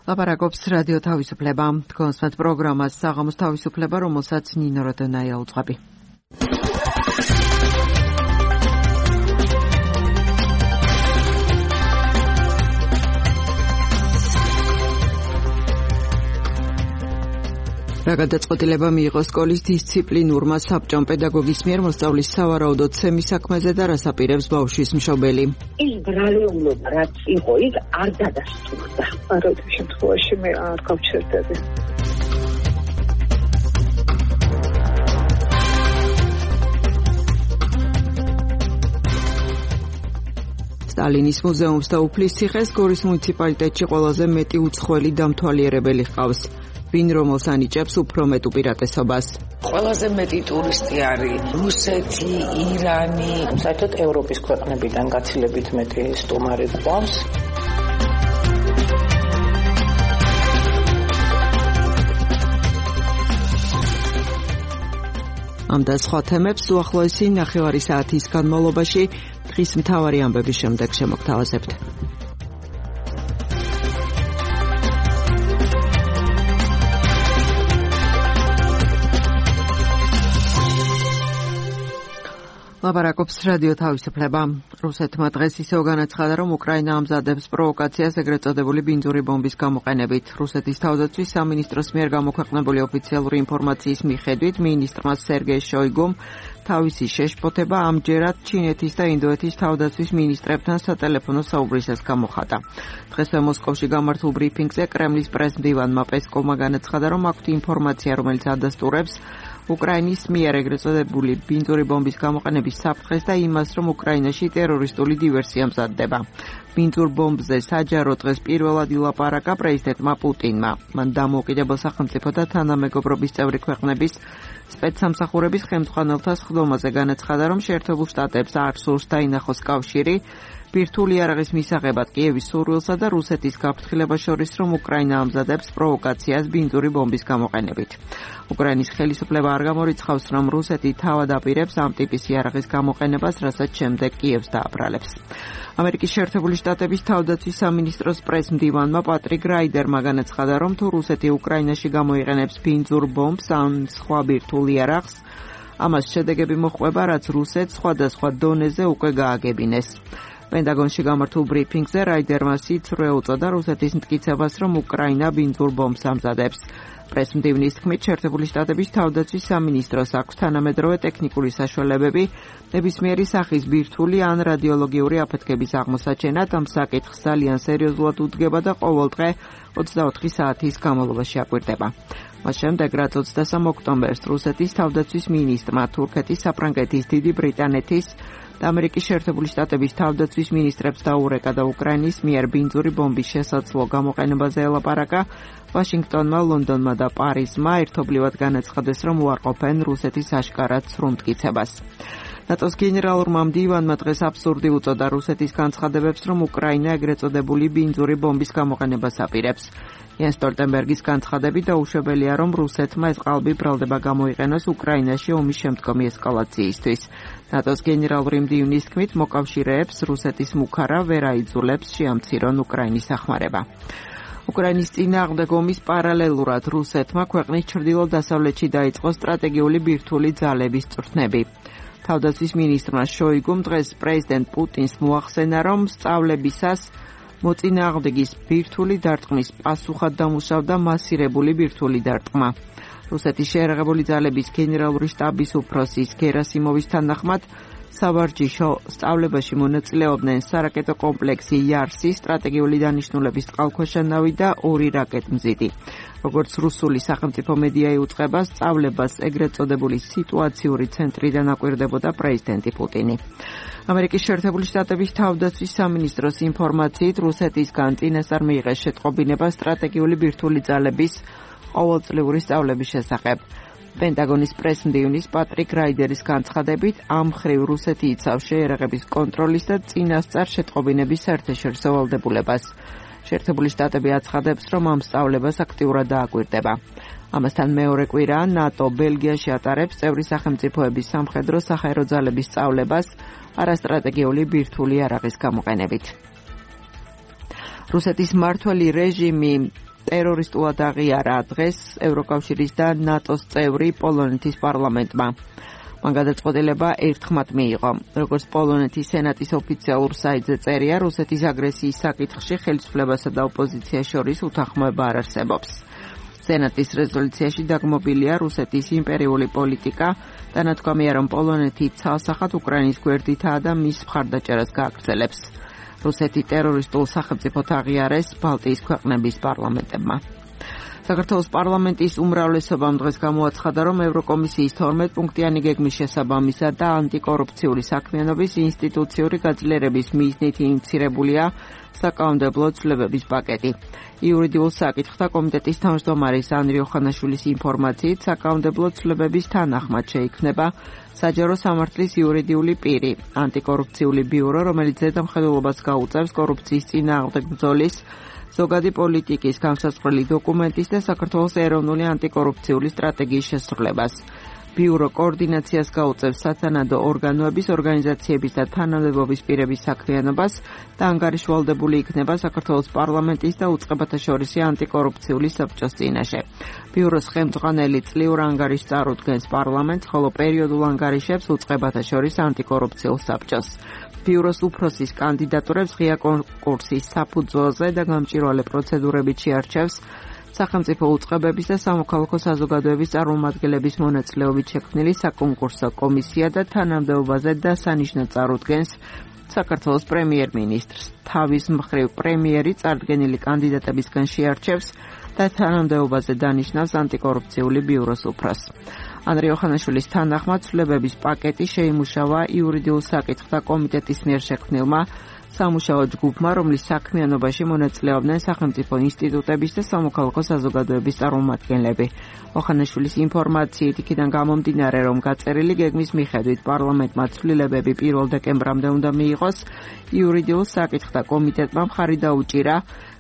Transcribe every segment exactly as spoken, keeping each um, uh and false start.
ლაპარაკობს რადიო თავისუფლება. კონსმეთ პროგრამას საღამოს თავისუფლება, რომელსაც ნინო როდონაია უძღვები. რა გადაწყვეტილება მიიღო სკოლის დისციპლინურმა საბჭომ პედაგოგის მიერ მოსწავლის სავარაუდოდ ცემის საქმეზე და რას აპირებს ბავშვის მშობელი? ის ბრალეულობა რაც იყო, ის არ დადასტურდა. არაერთი შემთხვევაში მე არ გავჩერდები. სტალინის მუზეუმს და უფლისციხეს გორის მუნიციპალიტეტში ყველაზე მეტი უცხოელი დამთვალიერებელი ჰყავს. ვინ რომელს ანიჭებს უფრო მეტ უპირატესობას? ყველაზე მეტი ტურისტი არის რუსეთი, ირანი, საერთოდ ევროპის ქვეყნებიდან გაცილებით მეტი სტუმარი გვყავს. ამ და სხვა თემებს უახლოესი ნახევარი საათის განმავლობაში დღის მთავარი ამბების შემდეგ შემოგთავაზებთ. ლაპარაკობს რადიო თავისუფლება. რუსეთმა დღეს ისევ განაცხადა, რომ უკრაინა ამზადებს პროვოკაციას ეგრეთ წოდებული ბინძური ბომბის გამოყენებით. რუსეთის თავდაცვის სამინისტროს მიერ გამოქვეყნებული ოფიციალური ინფორმაციის მიხედვით, მინისტრმა სერგეი შოიგუმ თავისი შეშფოთება ამჯერად ჩინეთის და ინდოეთის თავდაცვის მინისტრებთან სატელეფონო საუბრისას გამოხატა. დღესვე მოსკოვში გამართულ ბრიფინგზე კრემლის პრესმდივანმა პესკოვმა განაცხადა, რომ აქვთ ინფორმაცია, რომელიც ადასტურებს უკრაინის მიერ ეგრეთ წოდებული ბინძური ბომბის გამოყენების საფრთხეს და იმას, რომ უკრაინაში ტერორისტული დივერსია მზადდება. ბინძურ ბომბზე საჯარო დღეს პირველად ილაპარაკა პრეზიდენტმა პუტინმა. მან დამოუკიდებელ სახელმწიფო და თანამეგობრობის წევრი ქვეყნების სპეცსამსახურების ხელმძღვანელთა სხდომაზე განაცხადა, რომ შეერთებულ შტატებს არ სურს დაინახოს კავშირი ბირთვული იარაღის მისაღებად კიევის სურვილსა და რუსეთის გაფრთხილებას შორის, რომ უკრაინა ამზადებს პროვოკაციას ბინძური ბომბის გამოყენებით. უკრაინის ხელისუფლება არ გამორიცხავს, რომ რუსეთი თავად აპირებს ამ ტიპის იარაღის გამოყენებას, რასაც შემდეგ კიევს დააბრალებს. ამერიკის შეერთებული შტატების თავდაცვის სამინისტროს პრესმდივანმა პატრიკ რაიდერმა განაცხადა, რომ თუ რუსეთი უკრაინაში გამოიყენებს ბინძურ ბომბს ან სხვა ბირთვულ იარაღს, ამას შედეგები მოჰყვება, რაც რუსეთს სხვადასხვა დონეზე უკვე გააგებინეს. პენტაგონში გამართულ ბრიფინგზე რაიდერმა სიცრუე უწოდა რუსეთის მტკიცებას, რომ უკრაინა ბინძურ ბომბს ამზადებს. პრესმდივნის თქმით, შეერთებული შტატების თავდაცვის სამინისტროს აქვს თანამედროვე ტექნიკური საშუალებები ნებისმიერი სახის ბირთვული ან რადიოლოგიური აფეთქების აღმოსაჩენად. ამ საკითხს ძალიან სერიოზულად უდგება და ყოველდღე ოცდაოთხი საათის განმავლობაში აკვირდება. მას შემდეგ, რაც ოცდასამ ოქტომბერს რუსეთის თავდაცვის მინისტრმა თურქეთის, საფრანგეთის, დიდი ბრიტანეთის და ამერიკის შეერთებული შტატების თავდაცვის მინისტრებს დაურეკა და უკრაინის მიერ ბინძური ბომბის შესაძლო გამოყენებაზე ელაპარაკა, ვაშინგტონმა, ლონდონმა და პარიზმა ერთობლივად განაცხადეს, რომ უარყოფენ რუსეთის აშკარად სრულ მტკიცებას. ნატოს გენერალურმა მდივანმა დღეს აბსურდი უწოდა რუსეთის განცხადებებს, რომ უკრაინა ეგრეთ წოდებული ბინძური ბომბის გამოყენებას აპირებს. იენ სტოლტენბერგის განცხადებით დაუშვებელია, რომ რუსეთმა ეს ყალბი ბრალდება გამოიყენოს უკრაინაში ომის შემდგომი ესკალაციისთვის. ნატოს გენერალური მდივნის თქმით, მოკავშირეებს რუსეთის მუქარა ვერ აიძულებს შეამცირონ უკრაინის სახმარება. უკრაინის წინააღმდეგ ომის პარალელურად რუსეთმა ქვეყნის ჩრდილო-დასავლეთში დაიწყო სტრატეგიული ბირთვული ძალების წვრთნები. თავდაცვის მინისტრმა შოიგუმ დღეს პრეზიდენტ პუტინს მოახსენა, რომ სწავლებისას მოწინააღმდეგის ბირთვული დარტყმის პასუხად დამუშავდა მასირებული ბირთვული დარტყმა. რუსეთის შეიარაღებული ძალების გენერალური შტაბის უფროსის გერასიმოვის თანახმად, სავარჯიშო სწავლებაში მონაწილეობდნენ სარაკეტო კომპლექსი იარსი, სტრატეგიული დანიშნულების წყალქვეშა ნავი და ორი რაკეტმზიდი. როგორც რუსული სახელმწიფო მედია იუწყება, სწავლებას ეგრეთ წოდებული სიტუაციური ცენტრიდან აკვირდებოდა პრეზიდენტი პუტინი. ამერიკის შეერთებული შტატების თავდაცვის სამინისტროს ინფორმაციით, რუსეთისგან წინასწარ მიიღეს შეტყობინება სტრატეგიული ბირთვული ძალების ყოველწლიური სწავლების შესახებ. პენტაგონის პრესმდივნის პატრიკ რაიდერის განცხადებით, ამ მხრივ რუსეთი იცავს შეიარაღების კონტროლის და წინასწარ შეტყობინების საერთაშორისო ვალდებულებას. შეერთებული შტატები აცხადებს, რომ ამ სწავლებას აქტიურად დააკვირდება. ამასთან მეორე კვირა ნატო ბელგიაში ატარებს წევრი სახელმწიფოების სამხედრო საჰაერო ძალების სწავლებას არასტრატეგიული ბირთვული იარაღის გამოყენებით. რუსეთის მმართველი რეჟიმი ტერორისტულად აღიარა დღეს ევროკავშირის და ნატოს წევრი პოლონეთის პარლამენტმა. მან გადაწყვეტილება ერთხმად მიიღო. როგორც პოლონეთის სენატის ოფიციალურ საიტზე წერია, რუსეთის აგრესიის საკითხში ხელისუფლებასა და ოპოზიციას შორის უთანხმოება არ არსებობს. სენატის რეზოლუციაში დაგმობილია რუსეთის იმპერიული პოლიტიკა და ნათქვამია, რომ პოლონეთი ცალსახად უკრაინის გვერდითაა და მის მხარდაჭერას გააგრძელებს. რუსეთი ტერორისტულ სახელმწიფოდ აღიარეს ბალტიის ქვეყნების პარლამენტებმა. საქართველოს პარლამენტის უმრავლესობამ დღეს გამოაცხადა, რომ ევროკომისიის თორმეტ პუნქტიანი გეგმის შესაბამისად და ანტიკორუფციული საქმიანობის ინსტიტუციური გაძლიერების მიზნით ინიცირებულია საკანონმდებლო ცვლილებების პაკეტი. იურიდიულ საკითხთა კომიტეტის თავმჯდომარის ანრი ოხანაშვილის ინფორმაციით, საკანონმდებლო ცვლილებების თანახმად შეიქმნება საჯარო სამართლის იურიდიული პირი, ანტიკორუფციული ბიურო, რომელიც ზედამხედველობას გაუწევს კორუფციის წინააღმდეგ ბრძოლის, ზოგადი პოლიტიკის განსაზღვრელი დოკუმენტის და საქართველოს ეროვნული ანტიკორუფციული სტრატეგიის შესრულებას. ბიურო კოორდინაციას გაუწევს სათანადო ორგანოების, ორგანიზაციების და თანამდებობის პირების საქმიანობას და ანგარიშვალდებული იქნება საქართველოს პარლამენტის და უწყებათა შორისი ანტიკორუფციული საბჭოს წინაშე. ბიუროს ხელმძღვანელი წლიურ ანგარიშს წარუდგენს პარლამენტს, ხოლო პერიოდულ ანგარიშებს უწყებათა შორის ანტიკორუფციულ საბჭოს. ბიუროს უფროსის კანდიდატურებს ღია კონკურსის საფუძველზე და გამჭვირვალე პროცედურებით შეარჩევს სახელმწიფო უწყებების და სამოქალაქო საზოგადოების წარმომადგენლების მონაწილეობით შექმნილი საკონკურსო კომისია და თანამდებობაზე დასანიშნად წარუდგენს საქართველოს პრემიერ-მინისტრს. თავის მხრივ პრემიერი წარდგენილი კანდიდატებისგან შეარჩევს და თანამდებობაზე დანიშნავს ანტიკორუფციული ბიუროს უფროსს. ანრი ოხანაშვილის თანახმად ცვლილებების პაკეტი შეიმუშავა იურიდიულ საკითხთა კომიტეტის მიერ შექმნილმა სამუშაო ჯგუფმა, რომლის საქმიანობაში მონაწილეობდნენ სახელმწიფო ინსტიტუტების და სამოქალაქო საზოგადოების წარმომადგენლები. ოხანაშვილის ინფორმაციით იქიდან გამომდინარე, რომ გაწერილი გეგმის მიხედვით პარლამენტმა ცვლილებები პირველ დეკემბრამდე უნდა მიიღოს, იურიდიულ საკითხთა კომიტეტმა მხარი დაუჭირა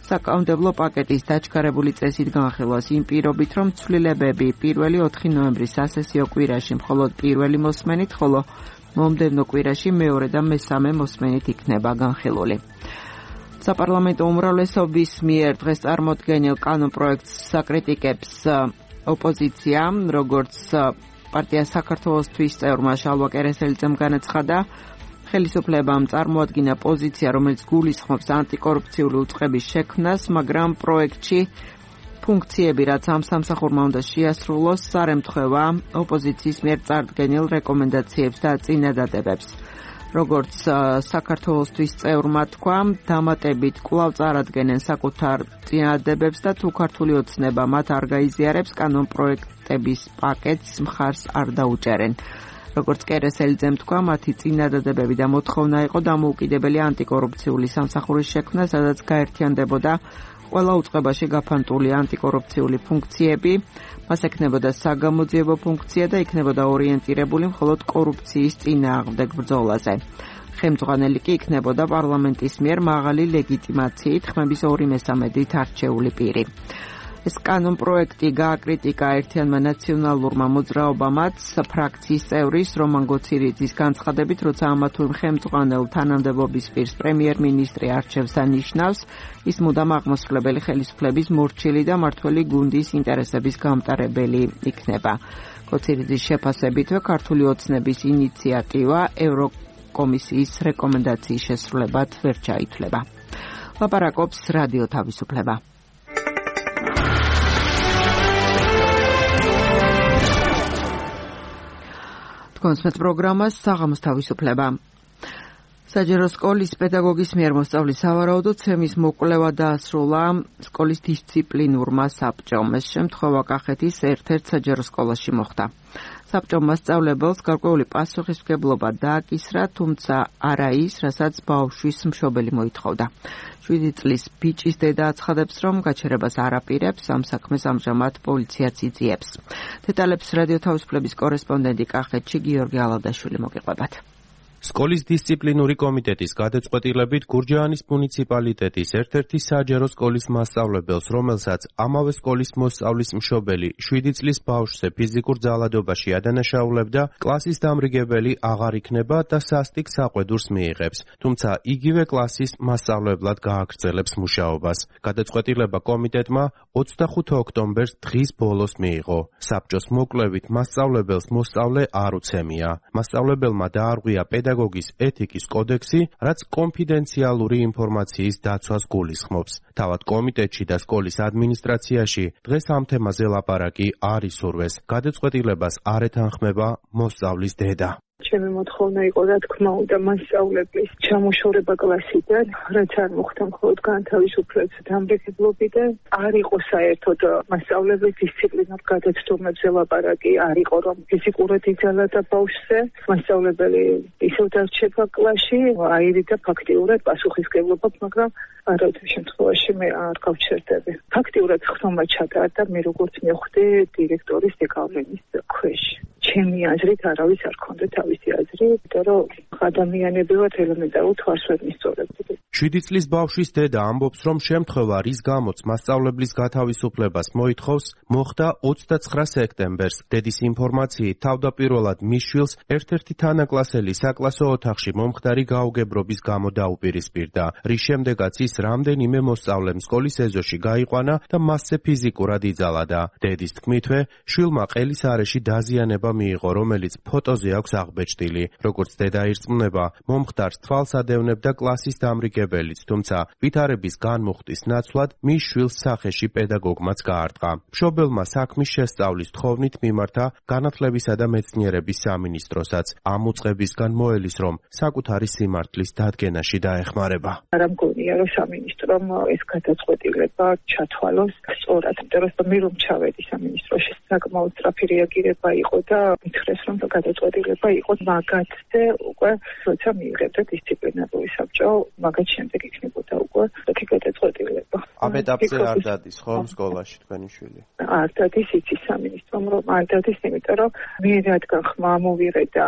საკანონმდებლო პაკეტის დაჩქარებული წესით განხილვას იმ პირობით, რომ ცვლილებები პირველი ოთხი ნოემბრის სასესიო კვირაში მხოლოდ პირველი მოსმენით, ხოლო მომდევნო კვირაში მეორე და მესამე მოსმენით იქნება განხილული. საპარლამენტო უმრავლესობის მიერ დღეს წარმოდგენილ კანონპროექტს საკრიტიკებს ოპოზიცია, როგორც პარტია საქართველოსთვის წევრმა შალვა კერესელიძემ განაცხადა, ხელისუფლებამ წარმოადგინა პოზიცია, რომელიც გულისხმობს ანტიკორუფციული უწყების შექმნას, მაგრამ პროექტში ფუნქციები, რაც ამ სამსახურმა უნდა შეასრულოს, არ ემთხვევა ოპოზიციის მიერ წარდგენილ რეკომენდაციებს და წინადადებებს. როგორც საქართველოსთვის წევრმა თქვა, დამატებით კვლავ წარადგენენ საკუთარ წინადადებებს და თუ ქართული ოცნება მათ არ გაიზიარებს, კანონპროექტების პაკეტს მხარს არ დაუჭერენ. როგორც კერესელიძემ თქვა, მათი წინადადებები და მოთხოვნა იყო დამოუკიდებელი ანტიკორუფციული სამსახურის შექმნა, სადაც გაერთიანდებოდა ყველა უწყებაში გაფანტული ანტიკორუფციული ფუნქციები, მას ექნებოდა საგამოძიებო ფუნქცია და იქნებოდა ორიენტირებული მხოლოდ კორუფციის წინააღმდეგ ბრძოლაზე. ხელმძღვანელი კი იქნებოდა პარლამენტის მიერ მაღალი ლეგიტიმაციით ხმების ორი მესამედით არჩეული პირი. ეს კანონპროექტი გააკრიტიკა ერთიანმა ნაციონალურმა მოძრაობამაც ფრაქციის წევრის რომან გოცირიძის განცხადებით, როცა ამა თუ იმ ხელმძღვანელ თანამდებობის პირს პრემიერ-მინისტრი არჩევს და ნიშნავს, ის მუდამ აღმასრულებელი ხელისუფლების მორჩილი და მართველი გუნდის ინტერესების გამტარებელი იქნება. გოცირიძის შეფასებითვე ქართული ოცნების ინიციატივა ევროკომისიის რეკომენდაციის შესრულებად ვერ ჩაითვლება. ლაპარაკობს რადიო თავისუფლება. კონსმეთ პროგრამას საღამოს თავისუფლება. საჯარო სკოლის პედაგოგის მიერ მოსწავლის სავარაუდო ცემის მოკვლევა დაასრულა სკოლის დისციპლინურმა საბჭომ. ეს შემთხვევა კახეთის ერთ-ერთ საჯარო სკოლაში მოხდა. საბჭომ მასწავლებელს გარკვეული პასუხისმგებლობა დააკისრა, თუმცა არა ის, რასაც ბავშვის მშობელი მოითხოვდა. შვიდი წლის ბიჭის დედა აცხადებს, რომ გაჩერებას არ აპირებს, ამ საქმეს ამჟამად პოლიციაც იძიებს. დეტალებს რადიო თავისუფლების კორესპონდენტი კახეთში გიორგი ალადაშვილი მოგიყვებათ. სკოლის დისციპლინური კომიტეტის გადაწყვეტილებით გურჯაანის მუნიციპალიტეტის ერთ-ერთი საჯარო სკოლის მასწავლებელს, რომელსაც ამავე სკოლის მოსწავლის მშობელი შვიდი წლის ბავშვზე ფიზიკურ ძალადობაში ადანაშაულებდა, კლასის დამრიგებელი აღარ იქნება და სასტიკ საყვედურს მიიღებს, თუმცა იგივე კლასის მასწავლებლად გააგრძელებს მუშაობას. გადაწყვეტილება კომიტეტმა ოცდახუთი ოქტომბერს დღის ბოლოს მიიღო. საბჭოს მოკვლევით მასწავლებელს მოსწავლე არ უცემია. მასწავლებელმა დაარღვია პედაგოგის ეთიკის კოდექსი, რაც კონფიდენციალური ინფორმაციის დაცვას გულისხმობს. თავად კომიტეტში და სკოლის ადმინისტრაციაში დღეს ამ თემაზე ლაპარაკი არ ისურვეს. გადაწყვეტილებას არ ეთანხმება მოსწავლის დედა. ჩემი მოთხოვნა იყო, რა თქმა უნდა, მასწავლებლის ჩამოშორება კლასიდან, რაც არ მოხდა მხოლოდ განთავისუფლების დამრიგებლობიდან, არ იყო საერთოდ მასწავლებლის დისციპლინურ გადაცდომებზე ლაპარაკი, არ იყო რომ ფიზიკურად იძალადა ბავშვზე, მასწავლებელი ისევ დარჩება კლასში, აირიდა ფაქტიურად პასუხისმგებლობა, მაგრამ არაერთი შემთხვევაში მე არ გავჩერდები. ფაქტიურად ხსოვნა ჩატარდა მე როგორც მივხვდი დირექტორის დეკავლენის ქვეშ. ჩემი აზრით არავის არ ქონდა თავისი აზრი, იმიტომ რომ ადამიანები ვართ ელემენტარულ თვალს ვერ მისწორებდი. შვიდი წლის ბავშვის დედა ამბობს, რომ შემთხვევა, რის გამოც მასწავლებლის გათავისუფლებას მოითხოვს, მოხდა ოცდაცხრა სექტემბერს. დედის ინფორმაციით, თავდაპირველად მის შვილს ერთ-ერთი თანაკლასელი საკლასო ოთახში მომხდარი გაუგებრობის გამო დაუპირისპირდა, რის შემდეგაც ის რამდენიმე მოსწავლემ სკოლის ეზოში გაიყვანა და მასზე ფიზიკურად იძალადა. დედის თქმითვე, შვილმა ყელის არეში დაზიანება მიიღო, რომელიც ფოტოზე აქვს აღბეჭდილი. როგორც დედა ირწმუნება, მომხდარს თვალს ადევნებდა კლასის დამრიგებელიც, თუმცა ვითარების განმუხტის ნაცვლად მის შვილს სახეში პედაგოგმაც გაარტყა. მშობელმა საქმის შესწავლის თხოვნით მიმართა განათლებისა და მეცნიერების სამინისტროსაც. ამ უწყებისგან მოელის, რომ საკუთარი სიმართლის დადგენაში დაეხმარება. არ მგონია, რომ სამინისტრომ ეს გადაწყვეტილება ჩათვალოს სწორად, იმიტომ რომ მე რომ ჩავედი სამინისტროში, საკმაოდ სწრაფი რეაგირება იყო და მითხრეს, რომ გადაწყვეტილება იყო მაგათზე უკვე როცა მიიღებდა დისციპლინარული საბჭო, მაგათ შემდეგ იქნებოდა უკვე ეს გადაწყვეტილება. ამ ეტაპზე არ დადის ხო სკოლაში თქვენი შვილი? არ დადის, იცის სამინისტრომ რომ არ დადის, იმიტომ რომ მე რადგან ხმა მოვიღე და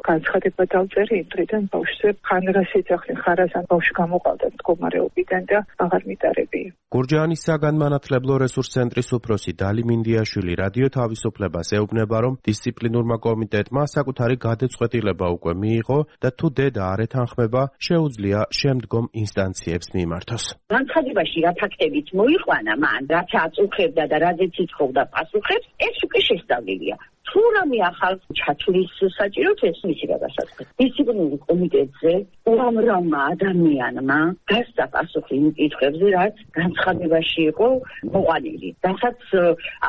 განცხადება დავწერე იმ დღიდან ბავშვზე ხანრას ეძახნე, ხარასან ბავშვი გამოყავდა მდგომარეობიდან და აღარ მიტარები. გურჯაანის საგანმანათლებლო რესურს ცენტრის უფროსი დალი მინდიაშვილი რადიო თავისუფლებას ეუბნება, რომ დისციპლინურმა კომიტეტმა საკუთარი გადაწყვეტილება უკვე მიიღო და თუ დედა არ ეთანხმება, შეუძლია შემდგომ ინსტანციებს მიმართოს. განცხადებაში რა ფაქტებით მოიყვანა მან, რაც აწუხებდა და რაზეც ითხოვდა პასუხებს, ეს უკვე შესწავლილია. თუ რამე ახალ ჩათვლის საჭიროთ, ეს მისი გადასაწყვეტი. დისციპლინური კომიტეტზე უამრავმა ადამიანმა გასცა პასუხი იმ კითხვებზე, რაც განცხადებაში იყო მოყვანილი. რასაც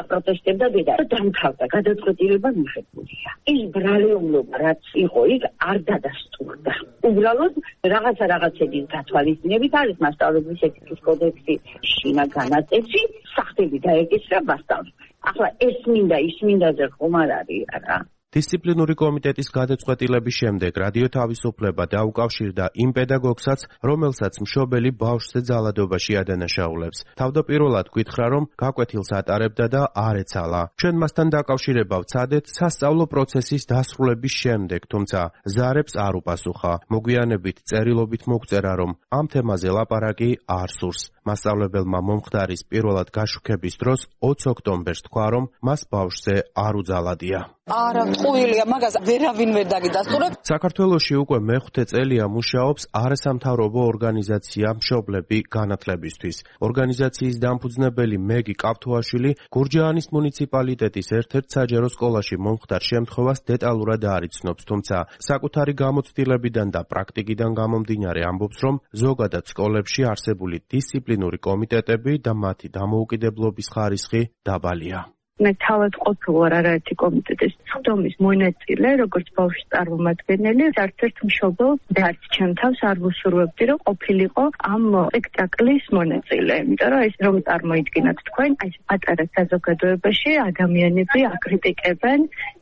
აპროტესტებდა დედა და დამთავრდა, გადაწყვეტილება მიღებულია. ის ბრალეულობა, რაც იყო, იქ არ დადასტურდა. უბრალოდ რაღაცა რაღაცების გათვალისწინებით არის მასწავლებლის ეთიკის კოდექსი, შინა განაწესი, სახტები დაეკისრა მასწავლებლს. ახლა ეს მინდა, ის მინდაზე ხომ არ არის რა. დისციპლინური კომიტეტის გადაწყვეტილების შემდეგ რადიო თავისუფლება დაუკავშირდა იმ პედაგოგსაც, რომელსაც მშობელი ბავშვზე ძალადობაში ადანაშაულებს. თავდაპირველად გითხრა, რომ გაკვეთილს ატარებდა და არ ეცალა. ჩვენ მასთან დაკავშირება ვცადეთ სასწავლო პროცესის დასრულების შემდეგ, თუმცა ზარებს არ უპასუხა. მოგვიანებით წერილობით მოგწერა, რომ ამ თემაზე ლაპარაკი არ სურს. მასწავლებელმა მომხდარის პირველად გაშუქების დროს ოცი ოქტომბერს თქვა, რომ მას ბავშვზე არ უძალადია. არა, ყუილია, მაგას ვერავინ ვერ დაგიდასტურებ. საქართველოში უკვე მეხუთე წელია მუშაობს არასამთავრობო ორგანიზაცია მშობლები განათლებისთვის. ორგანიზაციის დამფუძნებელი მეგი კავთუაშვილი გურჯაანის მუნიციპალიტეტის ერთ-ერთ საჯარო სკოლაში მომხდარ შემთხვევას დეტალურად არ იცნობს, თუმცა საკუთარი გამოცდილებიდან და პრაქტიკიდან გამომდინარე ამბობს, რომ ზოგადად სკოლებში არსებული დისციპლინური კომიტეტები და მათი დამოუკიდებლობის ხარისხი დაბალია. მე თავად ყოფილვარ არაერთი კომიტეტის სხდომის მონაწილე, როგორც ბავშვის წარმომადგენელი, ერთ-ერთ მშობელს და არც ჩემ თავს არ ვუსურვებდი, რომ ყოფილიყო ამ სპექტაკლის მონაწილე. იმიტომ რომ ეს რომ წარმოიდგინოთ თქვენ, აი ეს პატარა საზოგადოებაში ადამიანები აკრიტიკებენ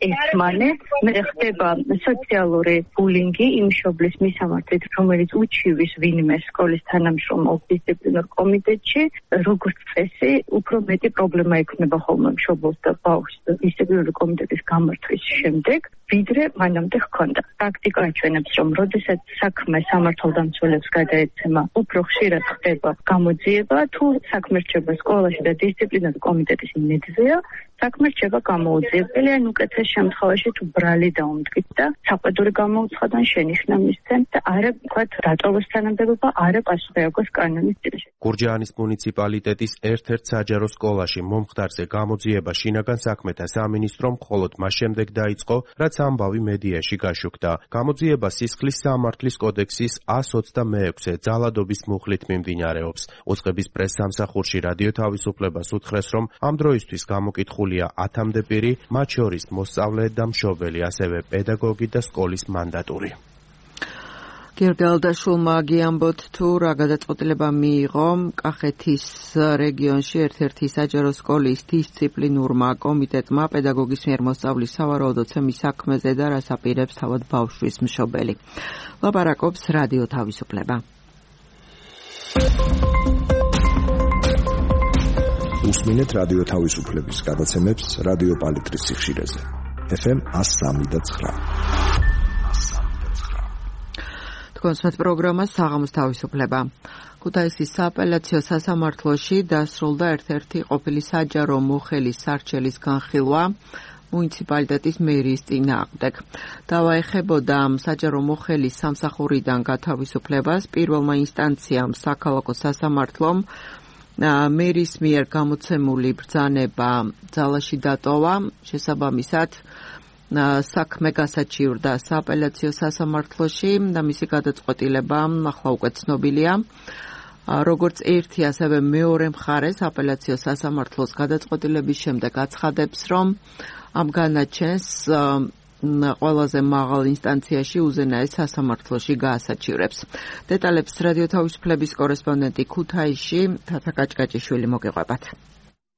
ერთმანეთს, მე ხდება სოციალური ბულინგი იმ მშობლის მისამართით, რომელიც უჩივის ვინმე სკოლის თანამშრომელს დისციპლინურ კომიტეტში, როგორც წესი, უფრო მეტი პრობლემა ექნება ხოლმე მშობლ სასწავლებელს და ბავშვს დისციპლინური კომიტეტის გამართვის შემდეგ, ვიდრე მანამდე ჰქონდა. პრაქტიკა აჩვენებს, რომ როდესაც საქმე სამართალდამცველებს გადაეცემა, უფრო ხშირად ხდება გამოძიება, თუ საქმე რჩება სკოლაში და დისციპლინური კომიტეტის იმედზეა, საქმე რჩება გამოუძიებელი, ან უკეთეს შემთხვევაში თუ ბრალი დაუმტკით და საყვედური გამოუცხადონ შენიშვნა მისცემ და არა ვთქვათ დატოვოს თანამდებობა, არა პასუხი აქვს კანონის წინაშე. გურჯაანის მუნიციპალიტეტის ერთ-ერთ საჯარო სკოლაში მომხდარზე გამოძიება შინაგან საქმეთა სამინისტრომ მხოლოდ მას შემდეგ დაიწყო, რაც ამბავი მედიაში გაშუქდა. გამოძიება სისხლის სამართლის კოდექსის ას ოცდამეექვსე ძალადობის მუხლით მიმდინარეობს. უწყების პრესსამსახურში რადიო თავისუფლებას უთხრეს, რომ ამ დროისთვის გამოკითხულია ათამდე პირი, მათ შორის მოსწავლე და მშობელი, ასევე პედაგოგი და სკოლის მანდატური. გიორგი ალდაშულმა გიამბოთ თუ რა გადაწყვეტილება მიიღო კახეთის რეგიონში ერთ-ერთი საჯარო სკოლის დისციპლინურმა კომიტეტმა პედაგოგის მიერ მოსწავლის სავარაუდოცემის საქმეზე და რას აპირებს თავად ბავშვის მშობელი. ლაპარაკობს რადიო თავისუფლება. უსმინეთ რადიო თავისუფლების გადაცემებს რადიო პალიტრის სიხშირეზე. ეფ ემ ას სამი და ცხრა. კონსმეთ პროგრამა საღამოს თავისუფლება. ქუთაისის სააპელაციო სასამართლოში დასრულდა ერთ-ერთი ყოფილი საჯარო მოხელის სარჩელის განხილვა მუნიციპალიტეტის მერიის წინააღმდეგ. დავაეხებოდა საჯარო მოხელის სამსახურიდან გათავისუფლებას პირველმა ინსტანციამ საქალაქო სასამართლომ მერის მიერ გამოცემული ბრძანება ძალაში დატოვა, შესაბამისად საქმე გასაჩივრდა სააპელაციო სასამართლოში და მისი გადაწყვეტილება ახლა უკვე ცნობილია. როგორც ერთი, ასევე მეორე მხარეს აპელაციო სასამართლოს გადაწყვეტილების შემდეგ აცხადებს, რომ ამ განაჩენს ყველაზე მაღალ ინსტანციაში უზენაეს სასამართლოში გაასაჩივრებს. დეტალებს რადიო თავისუფლების კორესპონდენტი ქუთაისში თათა კაჭკაჭიშვილი მოგეყვებათ.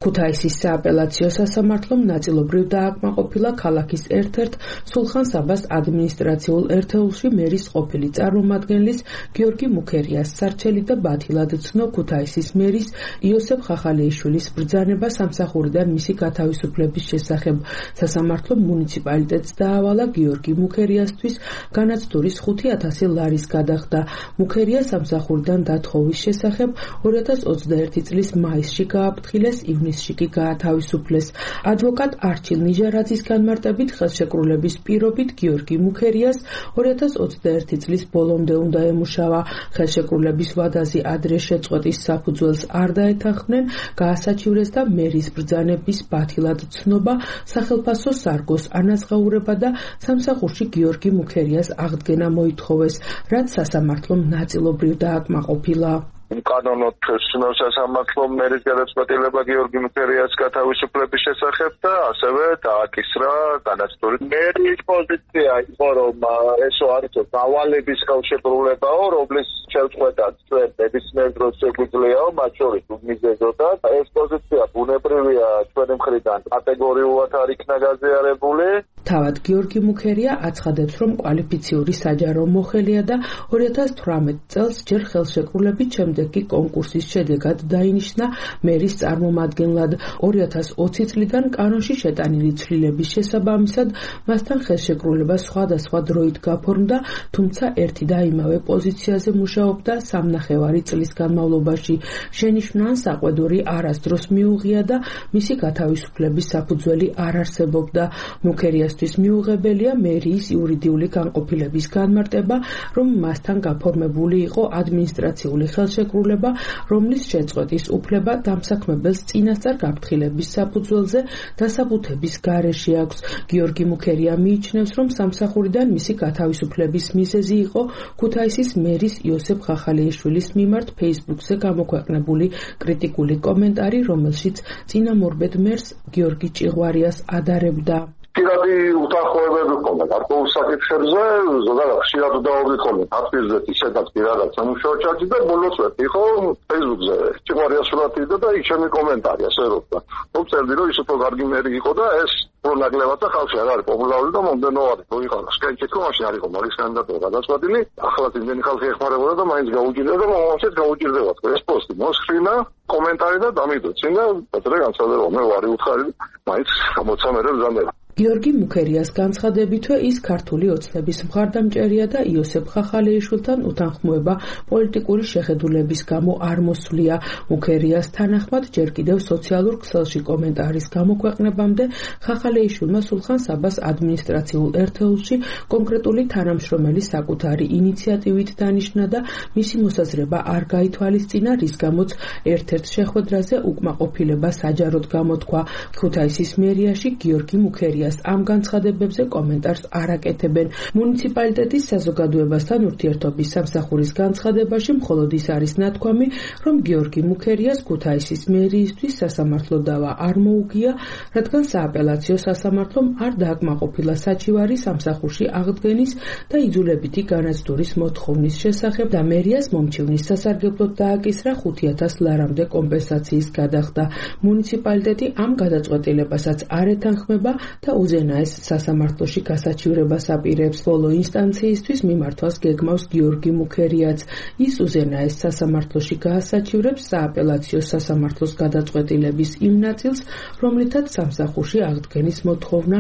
ქუთაისის სააპელაციო სასამართლომ ნაწილობრივ დააკმაყოფილა ქალაქის ერთ-ერთ სულხან-საბას ადმინისტრაციულ ერთეულში მერის ყოფილი წარმომადგენლის გიორგი მუქერიას სარჩელი და ბათილად ცნო ქუთაისის მერის იოსებ ხახალიაშვილის ბრძანება სამსახურიდან მისი გათავისუფლების შესახებ. სასამართლომ მუნიციპალიტეტს დაავალა გიორგი მუქერიასთვის განაცდურის ხუთი ათასი ლარის გადახდა. მუქერია სამსახურიდან დათხოვის შესახებ ორი ათას ოცდაერთი წლის მაისში გააფრთხილეს, ივნისში კი გაათავისუფლეს. ადვოკატ არჩილ ნიჟარაძის განმარტებით ხელშეკრულების პირობით გიორგი მუქერიას ორი ათას ოცდაერთი წლის ბოლომდე უნდა ემუშავა. ხელშეკრულების ვადაზე ადრე შეწყვეტის საფუძველს არ დაეთანხმნენ, გაასაჩივრეს და მერის ბრძანების ბათილად ცნობა, სახელფასო სარგოს ანაზღაურება და სამსახურში გიორგი მუქერიას აღდგენა მოითხოვეს, რაც სასამართლომ ნაწილობრივ დააკმაყოფილა. კანონოდ ცნო სასამართლომ მერის გადაწყვეტილება გიორგი მუქერიას გათავისუფლების შესახებ და ასევე დააკისრა განაცდური. მერის პოზიცია იყო, რომ ესო არისო დავალების ხელშეკრულებაო, რომლის შეწყვეტაც ჩვენ ნებისმიერ დროს შეგვიძლიაო, მათ შორის უმიზეზოდაც. ეს პოზიცია ბუნებრივია ჩვენი მხრიდან კატეგორიულად არ იქნა გაზიარებული. თავად გიორგი მუქერია აცხადებს, რომ კვალიფიციური საჯარო მოხელია და ორი ათას თვრამეტ წელს ჯერ ხელშეკრულებით, შემდეგ კი კონკურსის შედეგად დაინიშნა მერის წარმომადგენლად. ორი ათას ოცი წლიდან კანონში შეტანილი ცვლილების შესაბამისად მასთან ხელშეკრულება სხვადასხვა დროით გაფორმდა, თუმცა ერთი და იმავე პოზიციაზე მუშაობდა სამნახევარი წლის განმავლობაში. შენიშვნან საყვედური არასდროს მიუღია და მისი გათავისუფლების საფუძველი არ არსებობდა. მუქერიას მიუღებელია მერიის იურიდიული განყოფილების განმარტება, რომ მასთან გაფორმებული იყო ადმინისტრაციული ხელშეკრულება, რომლის შეწყვეტის უფლება დამსაქმებელს წინასწარ გაფრთხილების საფუძველზე დასაბუთების გარეშე აქვს. გიორგი მუქერია მიიჩნევს, რომ სამსახურიდან მისი გათავისუფლების მიზეზი იყო ქუთაისის მერის იოსებ ხახალიაშვილის მიმართ ფეისბუქზე გამოქვეყნებული კრიტიკული კომენტარი, რომელშიც წინამორბედ მერს გიორგი ჭიღვარიას ადარებდა. პირადი უთანხმოებები ჰქონდა გარკვეულ საკითხებზე, ზოგადად ხშირად დაობლი ჰქონდა აფრიზეთ ისედაც პირადად სამუშაო ჩარჯი და ბოლოს ვერთ იყო Facebook-ზე ჭკვარია სურათი და იქ ჩემი კომენტარი ასე როცა. რომ წერდი რომ ის უფრო კარგი მერი იყო და ეს უფრო ნაკლებად და ხალხი არ არის პოპულარული და მომდენო არის. რო იყანა სკენჩეთკო მაშინ არ იყო მაგის კანდიდატურა გადაწყვეტილი. ახლა იმენი ხალხი ეხმარებოდა და მაინც გაუჭირდა და მომავალშიც გაუჭირდება. ეს პოსტი მოსხრინა კომენტარი და დამიდოცინდა პეტრე განსხვავდება მე ვარი უთხარი მაინც გამოცემერე ბრძანდება. გიორგი მუქერიას განცხადებითვე ის ქართული ოცნების მხარდამჭერია და იოსებ ხახალეიშვილთან უთანხმოება პოლიტიკური შეხედულების გამო არ მოსვლია. მუქერიას თანახმად ჯერ კიდევ სოციალურ ქსელში კომენტარის გამოქვეყნებამდე ხახალეიშვილმა სულხან საბას ადმინისტრაციულ ერთეულში კონკრეტული თანამშრომელი საკუთარი ინიციატივით დანიშნა და მისი მოსაზრება არ გაითვალისწინა, რის გამოც ერთ-ერთ შეხვედრაზე უკმაყოფილება საჯაროდ გამოთქვა. ქუთაისის მერიაში გიორგი მუქერია ამ განცხადებებზე კომენტარს არ აკეთებენ. მუნიციპალიტეტის საზოგადოებასთან ურთიერთობის სამსახურის განცხადებაში მხოლოდ ის არის ნათქვამი, რომ გიორგი მუქერიას ქუთაისის მერიისთვის სასამართლო დავა არ მოუგია, რადგან სააპელაციო სასამართლომ არ დააკმაყოფილა საჩივარი სამსახურში აღდგენის და იძულებითი განაცდურის მოთხოვნის შესახებ და მერიას მომჩივნის სასარგებლოდ დააკისრა ხუთი ათას ლარამდე კომპენსაციის გადახდა. მუნიციპალიტეტი ამ გადაწყვეტილებასაც არ ეთანხმება და უზენაეს სასამართლოში გასაჩივრებას აპირებს. ბოლო ინსტანციისთვის მიმართვას გეგმავს გიორგი მუქერიაც. ის უზენაეს სასამართლოში გაასაჩივრებს სააპელაციო სასამართლოს გადაწყვეტილების იმ ნაწილს, რომლითაც სამსახურში აღდგენის მოთხოვნა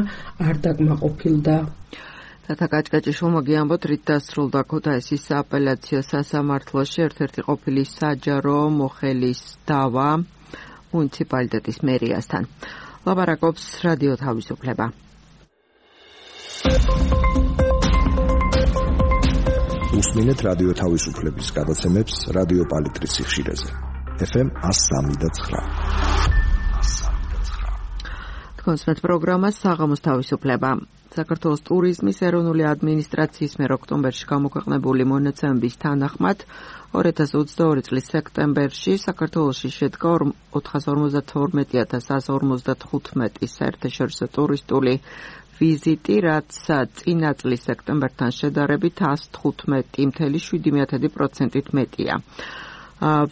არ დაკმაყოფილდა. თათა კაჭკაჭიშვილ მოგიამბოთ, რით დასრულდა ქუთაისის სააპელაციო სასამართლოში ერთ-ერთი ყოფილი საჯარო მოხელის დავა მუნიციპალიტეტის მერიასთან. ლაპარაკობს რადიო თავისუფლება. უსმინეთ რადიო თავისუფლების გადაცემებს რადიო პალიტრის სიხშირეზე. ეფ ემ one oh three და nine. თქვენს პროგრამას საღამოს თავისუფლება. საქართველოს ტურიზმის ეროვნული ადმინისტრაციის მიერ ოქტომბერში გამოქვეყნებული მონაცემების თანახმად ორი ათას ოცდაორი წლის სექტემბერში საქართველოში შედგა ოთხას ორმოცდათორმეტი ათას εκατო ორმოცდათხუთმეტი საერთაშორისო ტურისტული ვიზიტი, რაც წინა წლის სექტემბერთან შედარებით εκατო თხუთმეტი целых შვიდი დесятых პროცენტით მეტია.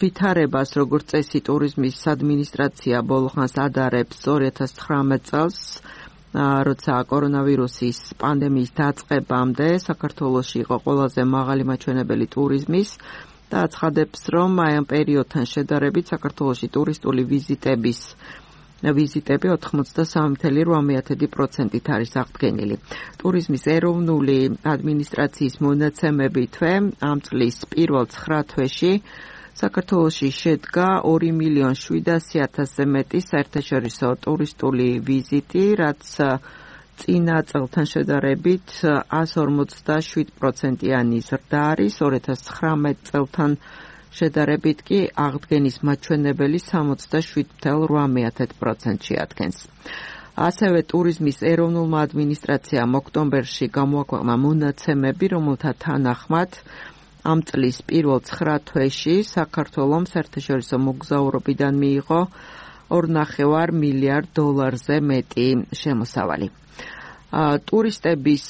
ვითარებას, როგორც წესი, ტურიზმის ადმინისტრაცია ბოლოხანს ადარებს ორი ათას ცხრამეტ წელს, როცა კორონავირუსის პანდემიის დაწყებამდე საქართველოში იყო ყველაზე მაღალი მაჩვენებელი ტურიზმის და აცხადებს, რომ აი ამ პერიოდთან შედარებით საქართველოში ტურისტული ვიზიტების ვიზიტები ოთხმოცდასამი целых ორმოცდაორი პროცენტით არის აღდგენილი. ტურიზმის ეროვნული ადმინისტრაციის მონაცემებითვე ამ წლის პირველ ცხრა თვეში საქართველოში შედგა ორი მილიონი შვიდასი ათასზე მეტი საერთაშორისო ტურისტული ვიზიტი, რაც წინა წელთან შედარებით εκατო ორმოცდაშვიდი პროცენტიანი ზრდა არის, ორი ათას ცხრამეტ წელთან შედარებით კი აღდგენის მაჩვენებელი სამოცდაშვიდი целых ორმოცდაორი პროცენტი ადგენს. ასევე ტურიზმის ეროვნულმა ადმინისტრაციამ ოქტომბერში გამოაქვეყნა მონაცემები, რომელთა თანახმად ამ წლის პირველ ცხრა თვეში საქართველოს საერთაშორისო მოგზაურობიდან მიიღო ორ ნახევარ მილიარდ დოლარზე მეტი შემოსავალი. ტურისტების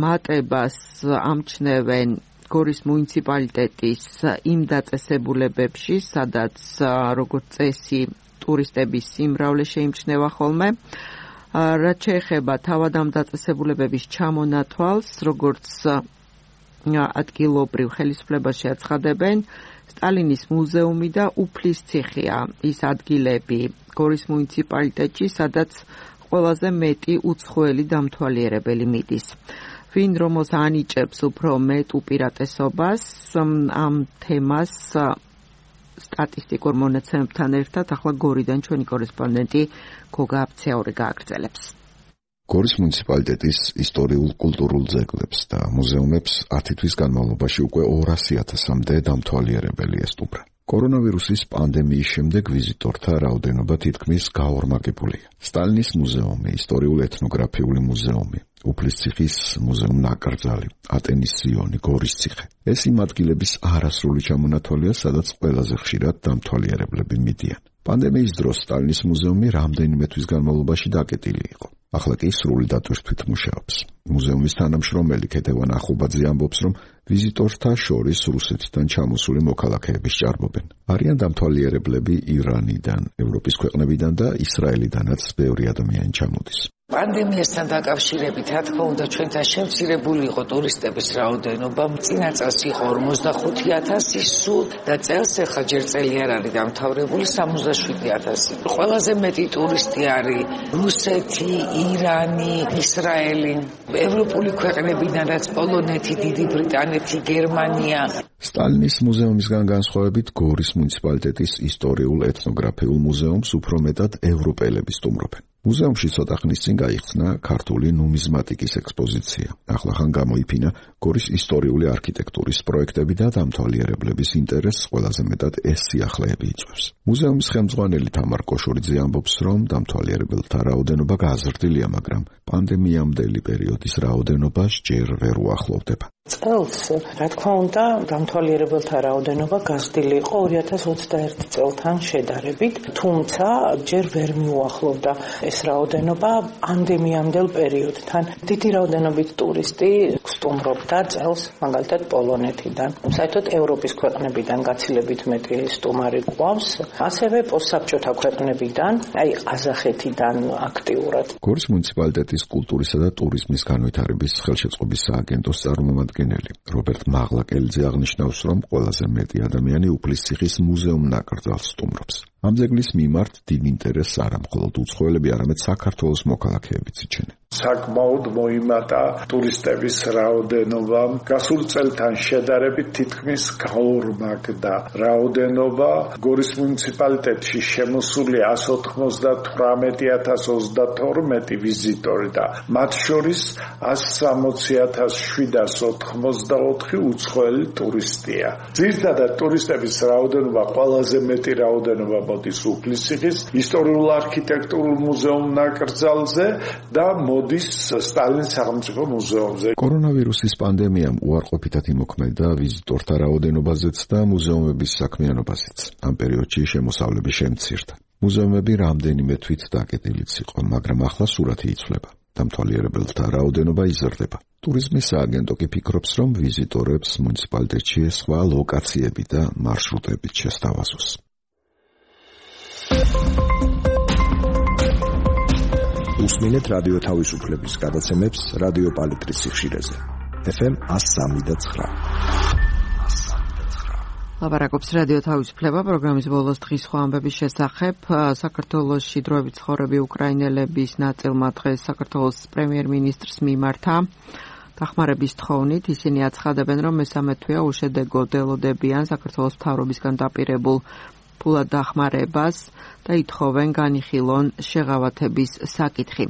მატებას ამჩნევენ გორის მუნიციპალიტეტის იმ დაწესებულებებში, სადაც როგორც წესი ტურისტების სიმრავლე შეიმჩნევა ხოლმე. რაც შეეხება თავად ამ დაწესებულებების ჩამონათვალს, როგორც ადგილობრივ ხელისუფლებაში აცხადებენ, სტალინის მუზეუმი და უფლის ციხეა ის ადგილები გორის მუნიციპალიტეტში, სადაც ყველაზე მეტი უცხოელი დამთვალიერებელი მიდის. ვინ რომელს ანიჭებს უფრო მეტ უპირატესობას ამ თემას სტატისტიკურ მონაცემებთან ერთად ახლა გორიდან ჩვენი კორესპონდენტი გოგა აფცეაური გააგრძელებს. გორის მუნიციპალიტეტის ისტორიულ კულტურულ ძეგლებს და მუზეუმებს ათი თვის განმავლობაში უკვე ორასი ათასამდე დამთვალიერებელი ესტუმრა. კორონავირუსის პანდემიის შემდეგ ვიზიტორთა რაოდენობა თითქმის გაორმაგებულია. სტალინის მუზეუმი, ისტორიულ ეთნოგრაფიული მუზეუმი, უფლისციხის მუზეუმ-ნაკრძალი, ატენის სიონი, გორის ციხე. ეს იმ ადგილების არასრული ჩამონათვალია, სადაც ყველაზე ხშირად დამთვალიერებლები მიდიან. პანდემიის დროს სტალინის მუზეუმი რამდენიმე თვის განმავლობაში დაკეტილი იყო. ახლა კი სრული დატვირთვით მუშაობს. მუზეუმის თანამშრომელი ქეთევან ახუბაძე ამბობს, რომ ვიზიტორთა შორის რუსეთიდან ჩამოსული მოქალაქეების ჭარბობენ. არიან დამთვალიერებლები ირანიდან, ევროპის ქვეყნებიდან და ისრაელიდანაც ბევრი ადამიანი ჩამოდის. პანდემიასთან დაკავშირებით, რა თქმა უნდა, ჩვენთან შემცირებული იყო ტურისტების რაოდენობა. წინა წელს იყო ორმოცდახუთი ათასი სულ და წელს ახლა ჯერ წელი არ არის დამთავრებული სამოცდაშვიდი ათასი. ყველაზე მეტი ტურისტი არის რუსეთი, ირანი, ისრაელი, ევროპული ქვეყნებიდანაც პოლონეთი, დიდი ბრიტანეთი, გერმანია. სტალინის მუზეუმისგან განსხვავებით, გორის მუნიციპალიტეტის ისტორიულ-ეთნოგრაფიულ მუზეუმს უფრო მეტად ევროპელები სტუმრობენ. მუზეუმში ცოტა ხნის წინ გაიხსნა ქართული ნუმიზმატიკის ექსპოზიცია. ახლახან გამოიფინა გორის ისტორიული არქიტექტურის პროექტები და დამთვალიერებლების ინტერესს ყველაზე მეტად ეს სიახლეები იწვევს. მუზეუმის ხელმძღვანელი თამარ კოშორიძე ამბობს, რომ დამთვალიერებელთა რაოდენობა გაზრდილია, მაგრამ პანდემიამდელი პერიოდის რაოდენობას ჯერ ვერ უახლოვდება. წელს, რა თქმა უნდა, დამთვალიერებელთა რაოდენობა გაზრდილი იყო ორი ათას ოცდაერთი წელთან შედარებით, თუმცა ჯერ ვერ მიუახლოვდა ეს რაოდენობა პანდემიამდელ პერიოდთან. დიდი რაოდენობით ტურისტი სტუმრობდა წელს, მაგალითად პოლონეთიდან. საერთოდ ევროპის ქვეყნებიდან გაცილებით მეტი სტუმარი გვყავს, ასევე პოსტსაბჭოთა ქვეყნებიდან, აი ყაზახეთიდან აქტიურად. გორის მუნიციპალიტეტის კულტურისა და ტურიზმის განვითარების ხელშეწყობის სააგენტოს წარმომადგენელი რობერტ მაღლაკელიძე აღნიშნავს, რომ ყველაზე მეტი ადამიანი უფლისციხის მუზეუმ ნაკრძალს სტუმრობს. ამ ძეგლის მიმართ დიდ ინტერესს არა მხოლოდ უცხოელები, არამედ საქართველოს მოქალაქეებიც იჩენენ. საკმაოდ მოიმატა ტურისტების რაოდენობამ. გასულ წელთან შედარებით თითქმის გაორმაგდა რაოდენობა. გორის მუნიციპალიტეტში შემოსული ასი ოცდათვრამეტი ათას ოცდათორმეტი ვიზიტორი და მათ შორის ასი სამოცი ათას შვიდას ოთხმოცდაოთხი უცხოელი ტურისტია. ძირითადად ტურისტების რაოდენობა ყველაზე მეტი რაოდენობა მოდის უფლისციხის ისტორიულ-არქიტექტურულ მუზეუმ ნაკრძალზე და მოდის სტალინის სახელმწიფო მუზეუმზე. კორონავირუსის პანდემიამ უარყოფითად იმოქმედა ვიზიტორთა რაოდენობაზეც და მუზეუმების საქმიანობაზეც. ამ პერიოდში შემოსავლები შემცირდა. მუზეუმები რამდენიმე თვით დაკეტილიც იყო, მაგრამ ახლა სურათი იცვლება. დამთვალიერებელთა რაოდენობა იზრდება. ტურიზმის სააგენტო კი ფიქრობს, რომ ვიზიტორებს მუნიციპალიტეტში სხვა ლოკაციები და მარშრუტებით შესთავაზოს. უსმინეთ რადიო თავისუფლების გადაცემებს რადიო პალიტრის სიხშირეზე. ეფ ემ one oh three point nine. ლაპარაკობს რადიო თავისუფლება პროგრამის ბოლოს დღის სხვა ამბების შესახებ. საქართველოში დროებით ცხოვრები უკრაინელების ნაწილმა დღეს საქართველოს პრემიერ-მინისტრს მიმართა დახმარების თხოვნით. ისინი აცხადებენ, რომ მესამე თვეა უშედეგო დელოდებიან საქართველოს მთავრობისგან დაპირებულ ფულად დახმარებას და ითხოვენ განიხილონ შეღავათების საკითხი.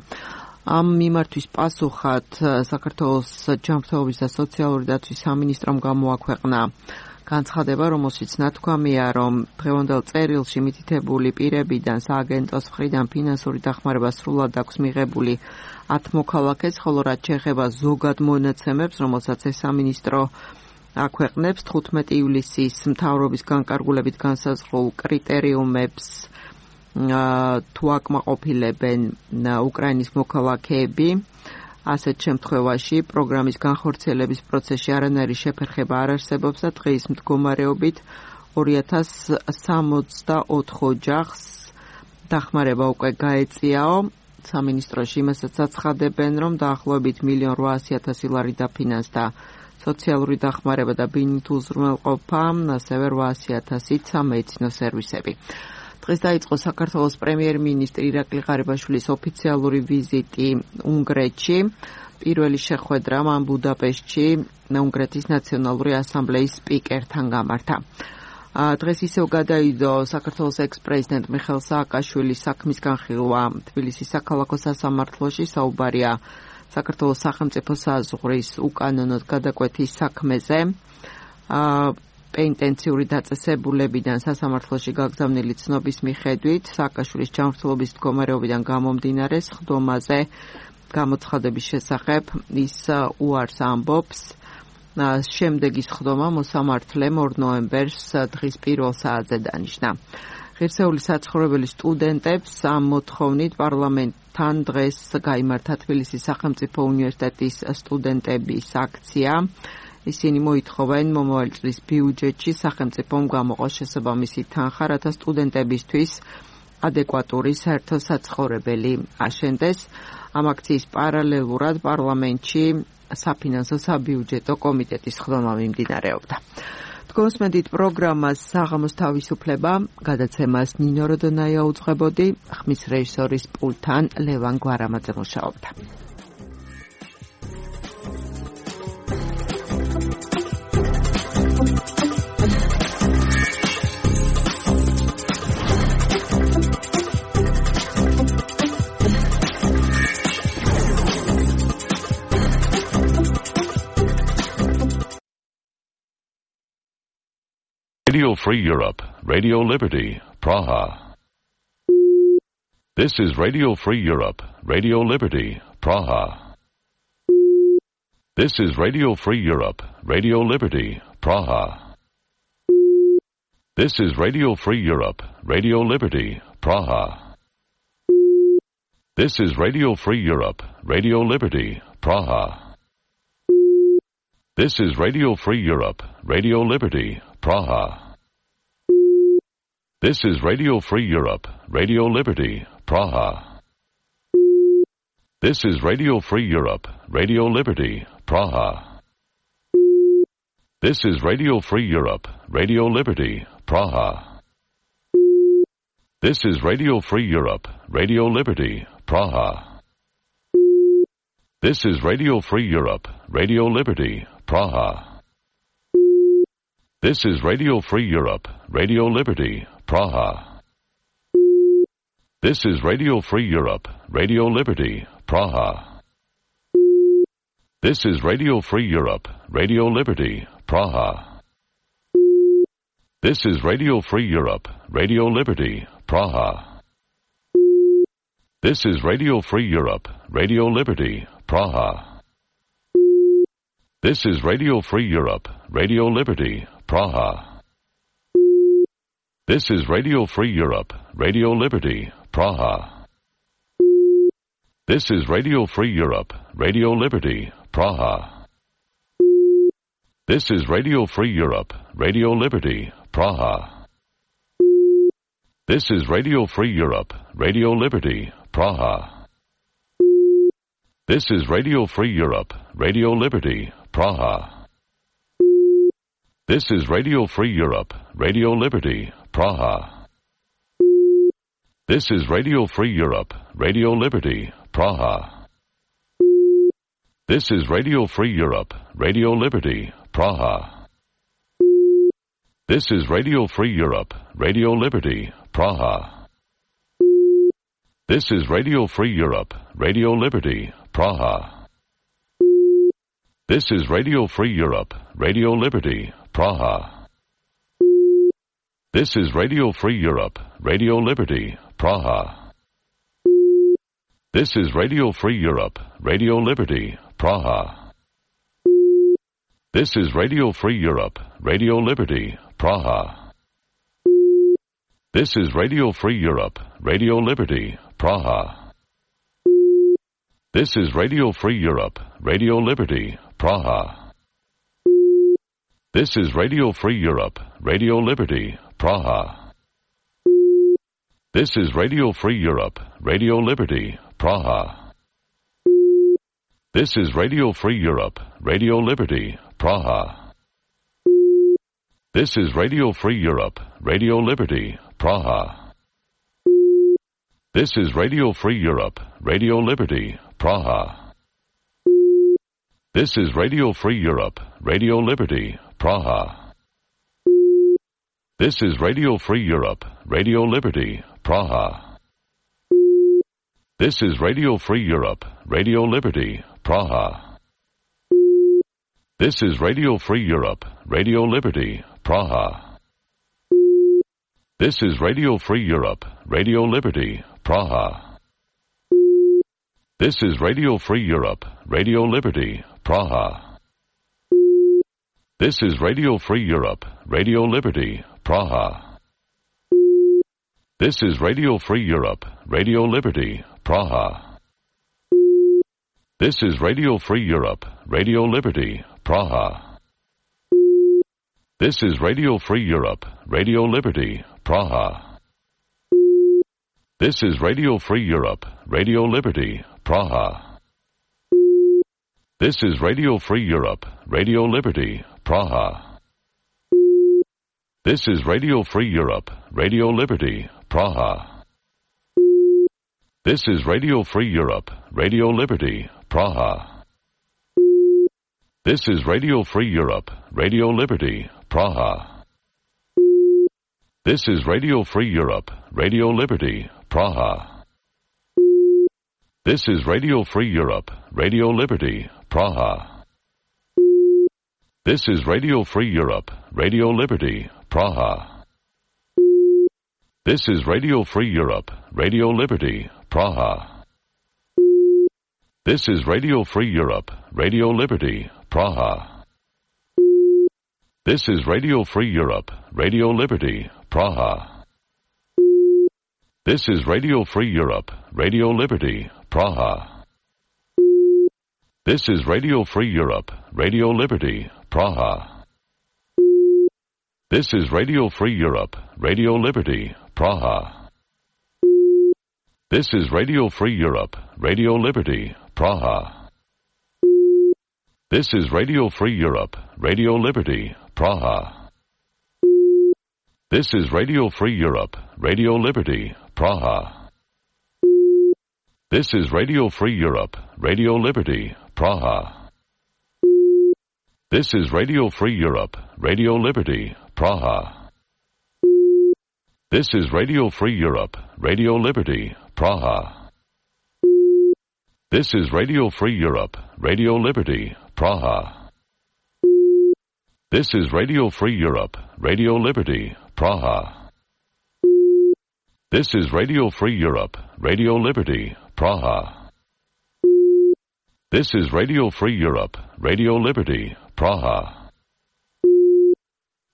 ამ მიმართვის პასუხად საქართველოს ჯანმრთელობის და სოციალური დაცვის სამინისტრომ გამოაქვეყნა განცხადება, რომელშიც ნათქვამია, რომ დღევანდელ წერილში მითითებული პირებიდან სააგენტოს მხრიდან ფინანსური დახმარება სრულად აქვს მიღებული ათ მოქალაქეს, ხოლო რაც შეეხება ზოგად მონაცემებს, რომელსაც ეს სამინისტრო აქვეყნებს თხუთმეტი ივლისის მთავრობის განკარგულებით განსაზღვრულ კრიტერიუმებს თუ აკმაყოფილებენ უკრაინის მოქალაქეები. ასეთ შემთხვევაში პროგრამის განხორციელების პროცესში არანაირი შეფერხება არ არსებობს და დღის მდგომარეობით ორი ათას სამოცდაოთხ ოჯახს დახმარება უკვე გაეწიაო. სამინისტროში იმასაც აცხადებენ, რომ დაახლოებით მილიონ რვაასი ათასი ლარი დაფინანსდა სოციალური დახმარება და ბინით უზრუნველყოფა, ასევე რვაასი ათასით სამედიცინო სერვისები. დღეს დაიწყო საქართველოს პრემიერ-მინისტრი ირაკლი ღარიბაშვილის ოფიციალური ვიზიტი უნგრეთში. პირველი შეხვედრა მან ბუდაპეშტში უნგრეთის ნაციონალური ასამბლეის სპიკერთან გამართა. დღეს ისევ გადაიდო საქართველოს ექს-პრეზიდენტ მიხეილ სააკაშვილის საქმის განხილვა თბილისის საქალაქო სასამართლოში. საუბარია საქართველოს სახელმწიფო საზღვრის უკანონოდ გადაკვეთის საქმეზე. პენიტენციური დაწესებულებიდან სასამართლოში გაგზავნილი ცნობის მიხედვით სააკაშვილის ჯანმრთელობის მდგომარეობიდან გამომდინარე სხდომაზე გამოცხადების შესახებ ის უარს ამბობს. შემდეგი სხდომა მოსამართლემ ორ ნოემბერს დღის პირველ საათზე დანიშნა. ღირსეული საცხოვრებელი სტუდენტებს ამ მოთხოვნით პარლამენტთან დღეს გაიმართა თბილისის სახელმწიფო უნივერსიტეტის სტუდენტების აქცია. ისინი მოითხოვენ მომავალი წლის ბიუჯეტში სახელმწიფომ გამოყოს შესაბამისი თანხა, რათა სტუდენტებისთვის ადეკვატური საერთო საცხოვრებელი აშენდეს. ამ აქციის პარალელურად პარლამენტში საფინანსო საბიუჯეტო კომიტეტის ხდომა მიმდინარეობდა. თქვენს მედით პროგრამას საღამოს თავისუფლება გადაცემას ნინო როდონაია უძღვებოდი, ხმის რეჟისორის პულტთან ლევან გვარამაძე მუშაობდა. Radio Free Europe, Radio Liberty, Praha. This is Radio Free Europe, Radio Liberty, Praha. This is Radio Free Europe, Radio Liberty, Praha. This is Radio Free Europe, Radio Liberty, Praha. This is Radio Free Europe, Radio Liberty, Praha. This is Radio Free Europe, Radio Liberty, Praha. This is Radio Free Europe, Radio Liberty, Praha. This is Radio Free Europe, Radio Liberty, Praha. This is Radio Free Europe, Radio Liberty, Praha. This is Radio Free Europe, Radio Liberty, Praha. This is Radio Free Europe, Radio Liberty, Praha. This is Radio Free Europe, Radio Liberty, Praha. This is Radio Free Europe, Radio Liberty, Praha. This is Radio Free Europe, Radio Liberty, Praha. This is Radio Free Europe, Radio Liberty, Praha. This is Radio Free Europe, Radio Liberty, Praha. This is Radio Free Europe, Radio Liberty, Praha. This is Radio Free Europe, Radio Liberty, Praha. This is Radio Free Europe, Radio Liberty, Praha. This is Radio Free Europe, Radio Liberty, Praha. This is Radio Free Europe, Radio Liberty, Praha. This is Radio Free Europe, Radio Liberty, Praha. This is Radio Free Europe, Radio Liberty, Praha. This is Radio Free Europe, Radio Liberty, Praha. This is Radio Free Europe, Radio Liberty, Praha. This is Radio Free Europe, Radio Liberty, Praha. This is Radio Free Europe, Radio Liberty, Praha. This is Radio Free Europe, Radio Liberty, Praha. This is Radio Free Europe, Radio Liberty, Praha. This is Radio Free Europe, Radio Liberty, Praha. This is Radio Free Europe, Radio Liberty, Praha. This is Radio Free Europe, Radio Liberty, Praha. This is Radio Free Europe, Radio Liberty, Praha. This is Radio Free Europe, Radio Liberty, Praha. This is Radio Free Europe, Radio Liberty, Praha. This is Radio Free Europe, Radio Liberty, Praha. This is Radio Free Europe, Radio Liberty, Praha. This is Radio Free Europe, Radio Liberty, Praha. This is Radio Free Europe, Radio Liberty, Praha. This is Radio Free Europe, Radio Liberty, Praha. This is Radio Free Europe, Radio Liberty, Praha. This is Radio Free Europe, Radio Liberty, Praha. This is Radio Free Europe, Radio Liberty, Praha. This is Radio Free Europe, Radio Liberty, Praha. This is Radio Free Europe, Radio Liberty, Praha. This is Radio Free Europe, Radio Liberty, Praha. This is Radio Free Europe, Radio Liberty, Praha. This is Radio Free Europe, Radio Liberty, Praha. This is Radio Free Europe, Radio Liberty, Praha. This is Radio Free Europe, Radio Liberty, Praha. This is Radio Free Europe, Radio Liberty, Praha. This is Radio Free Europe, Radio Liberty, Praha. This is Radio Free Europe, Radio Liberty, Praha. This is Radio Free Europe, Radio Liberty, Praha. This is Radio Free Europe, Radio Liberty, Praha. This is Radio Free Europe, Radio Liberty, Praha. This is Radio Free Europe, Radio Liberty, Praha. This is Radio Free Europe, Radio Liberty, Praha. This is Radio Free Europe, Radio Liberty, Praha. This is Radio Free Europe, Radio Liberty, Praha. This is Radio Free Europe, Radio Liberty, Praha. This is Radio Free Europe, Radio Liberty, Praha. This is Radio Free Europe, Radio Liberty, Praha. This is Radio Free Europe, Radio Liberty, Praha. This is Radio Free Europe, Radio Liberty, Praha. This is Radio Free Europe, Radio Liberty, Praha. This is Radio Free Europe, Radio Liberty, Praha. This is Radio Free Europe, Radio Liberty, Praha. This is Radio Free Europe, Radio Liberty, Praha. This is Radio Free Europe, Radio Liberty, Praha. This is Radio Free Europe, Radio Liberty, Praha. This is Radio Free Europe, Radio Liberty, Praha.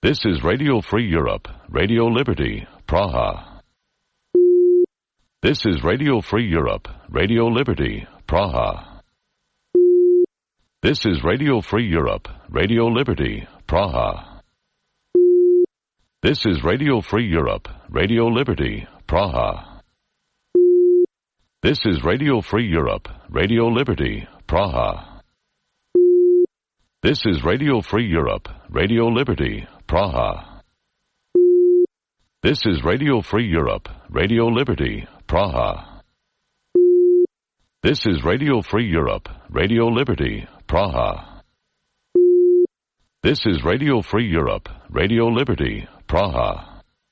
This is Radio Free Europe, Radio Liberty, Praha. This is Radio Free Europe, Radio Liberty, Praha. This is Radio Free Europe, Radio Liberty, Praha. This is Radio Free Europe, Radio Liberty, Praha. This is Radio Free Europe, Radio Liberty, Praha. This is Radio Free Europe, Radio Liberty, Praha. This is Radio Free Europe, Radio Liberty, Praha. This is Radio Free Europe, Radio Liberty, Praha. This is Radio Free Europe, Radio Liberty, Praha.